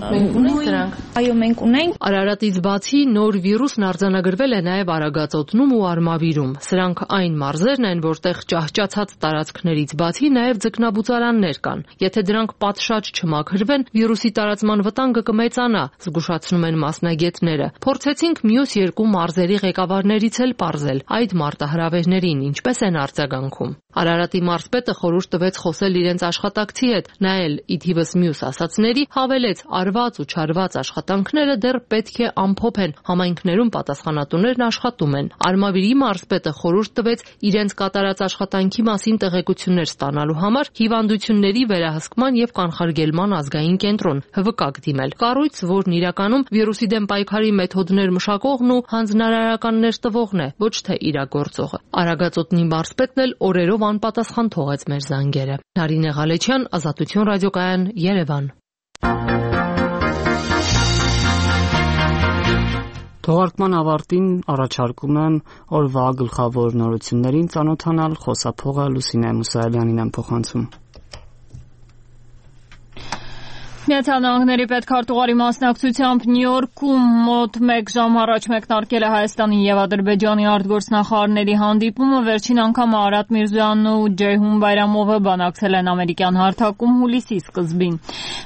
Այո, մենք ունենք։ Արարատից բացի նոր վիրուսն արձանագրվել է նաեւ Արագածոտնում ու Արմավիրում։ Սրանք այն մարզերն են, որտեղ ճահճացած տարածքներից բացի նաեւ ձկնաբուծարաններ կան։ Եթե դրանք պատշաճ չմաքրվեն, վիրուսի տարածման վտանգը կմեծանա, զգուշացնում են մասնագետները։ Փորձեցինք մյուս 2 մարզերի ղեկավարներից էլ պարզել այդ մարտահրավերներին ինչպես են արձագանքում։ Արարատի մարզպետը խորհուրդ տվեց խոսել իրենց աշխատակցի հետ, նայել ի թիվս մյուս ասածների, հավելեց արված ու չարված աշխատանքները դեռ պետք է ամփոփեն, համայնքներում պատասխանատուներն աշխատում են։ Արմավիրի մարզպետը խորհուրդ տվեց իրենց կատարած աշխատանքի մասին տեղեկություններ ստանալու համար հիվանդությունների վերահսկման եւ կանխարգելման ազգային կենտրոն ՀՎԿ դիմել։ Կառույց, որն իրականում վիրուսի դեմ պայքարի մեթոդներ մշակողն ու հանձնարարականներ տվողն է, ոչ թե իրագործողը։ Արագածոտնի մարզպետն էլ օրերով անպատասխան թողեց մեր զանգերը։ Նարինե Ղալեչյան, Ազատություն ռադիոկայան, Երևան։ Թողարկման ավարտին առաջարկում եմ օրվա գլխավոր նորություններին ծանոթանալ, խոսափողը Լուսինե Մուսայելյանին եմ փոխանցում։ Միացյալ Նահանգների պետքարտուղարի մասնակցությամբ Նյու Յորքում մոտ 1 ժամ առաջ մեկնարկել է Հայաստանի եւ Ադրբեջանի արտգործնախարարների հանդիպումը։ Վերջին անգամ Արադ Միրզոյանն ու Ջեյհուն Բայրամովը բանակցել են ամերիկյան հարթակում հուլիսի սկզբին։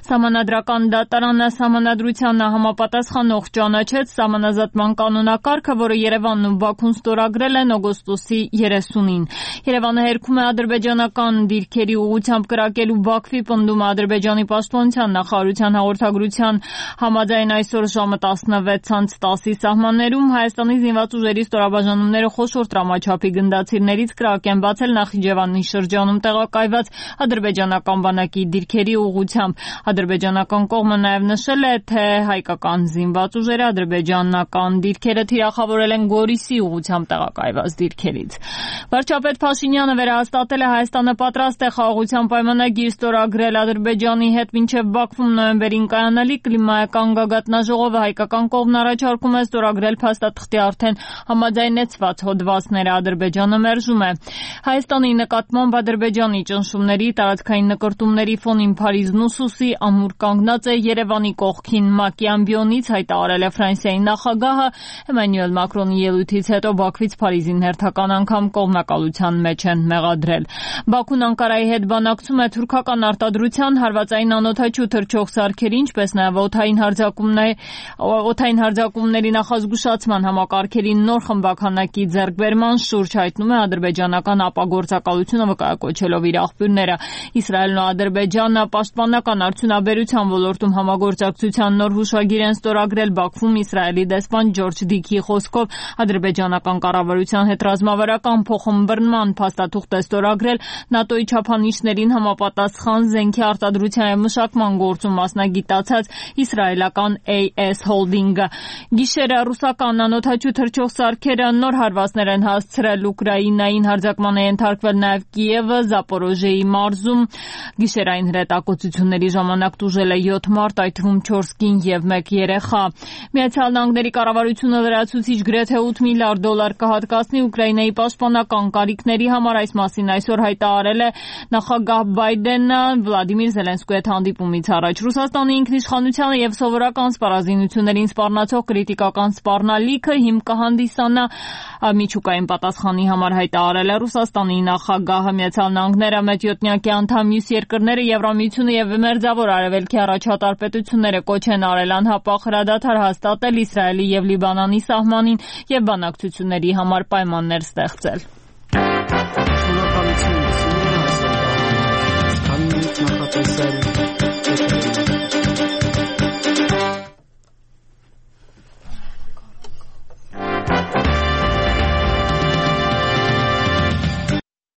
Սահմանադրական դատարանը սահմանադրությանն համապատասխանող ճանաչեց սահմանազատման կանոնակարգը, որը Երևանն ու Բաքուն ստորագրել են օգոստոսի 30-ին։ Երևանը հերքում է ադրբեջանական դիրքերի ուղղությամբ կրակելու Բաքվի պնդումը Ադրբեջանի պաշտպանության նախարարության հաղորդագրության համաձայն այսօր ժամը 16:10-ի սահմաններում Հայաստանի զինված ուժերի ստորաբաժանումները խոշոր տրամաչափի գնդացիրներից կրակ են բացել Նախիջևանի շրջանում տեղակայված ադրբեջանական բանակի դիրքերի ուղղությամբ։ Ադրբեջանական կողմը նաև նշել է, թե հայկական զինված ուժերը ադրբեջանական դիրքերը թիրախավորել են Գորիսի ուղղությամբ տեղակայված դիրքերից։ Վարչապետ Փաշինյանը վերահաստատել է Հայաստանը պատրաստ է խաղաղության պայմանագիր ստորագրել Ադրբեջանի հետ մինչև Բաքվում նոյեմբերին կայանալի կլիմայական գագաթնաժողովը հայկական կողմն առաջարկում է ստորագրել փաստաթղթի արդեն համաձայնեցված հոդվածները։ Ադրբեջանը մերժում է։ Հայաստանի նկատմամբ Ադրբեջանի ճնշումների տարածքային նկրտումների ֆոնին Փարիզն ու Սուսի ամուր կանգնած է Երևանի կողքին։ ՄԱԿ-ի ամբիոնից հայտարարել է Ֆրանսիայի նախագահը Էմանուել Մակրոնի ելույթից հետո Բաքվից Փարիզին հերթական անգամ կողմնակալության մեջ են մեղադրել։ Բաքուն Անկարայի հետ բանակցում է թուրքական արտադրության հարվածային անօդաչու թռչող սարքերի, ինչպես նաև օդային հարձակումների նախազգուշացման համակարգերի նոր խմբականակի ձեռքբերման շուրջ, հայտնում է ադրբեջանական ապագործակալությունը վկայակոչելով իր աղբյուրները։ Իսրայելն ու Ադրբեջանը պաշտպանական արդյունաբերության ոլորտում համագործակցության նոր հուշագիր են ստորագրել Բաքվում Իսրայելի դեսպան Ջորջ Դիքի խոսքով ադրբեջանական կառավարության հետ ռազմավարական փոխըմբռնման փաստաթուղթ է ստորագրել ՆԱՏՕ-ի չափանիշներին համապատասխան զենքի արտադրության և մշակման գործում մասնագիտացած իսրայելական AS Holding-ը։ Գիշերը ռուսական անօդաչու թռչող սարքերը նոր հարվածներ են հասցրել Ուկրաինային, հարձակման է ենթարկվել նաև Կիևը, Զապորոժիեի մարզում։ Գիշերային հրետակոծությունների ժամանակ տուժել է 7 մարդ, այդ թվում 4 կին և 1 երեխա։ Միացյալ Նահանգների կառավարությունը լրացուցիչ գրեթե $8 միլիարդ կհատկացնի Ուկրաինայի պաշտպանական կարիքների համար։ Այս մասին այսօր հայտարարել է նախագահ Բայդենը Վլադիմիր Զելենսկուի հետ հանդիպումից առաջ։ Ռուսաստանի ինքնիշխանությանը և սովորական սպառազինություններին սպառնացող կրիտիկական սպառնալիքը հիմք կհանդիսանա միջուկային պատասխանի համար, հայտարարել է Ռուսաստանի նախագահը։ Միացյալ Նահանգները, մեծյոթնյակի անդամ մյուս երկրները, Եվրամիությունը և Մերձավոր Արևելքի առաջատար պետությունները կոչ են արել անհապաղ հրադադար հաստատել Իսրայելի և Լիբանանի սահմանին և բանակցությունների համար պայմաններ ստեղծել։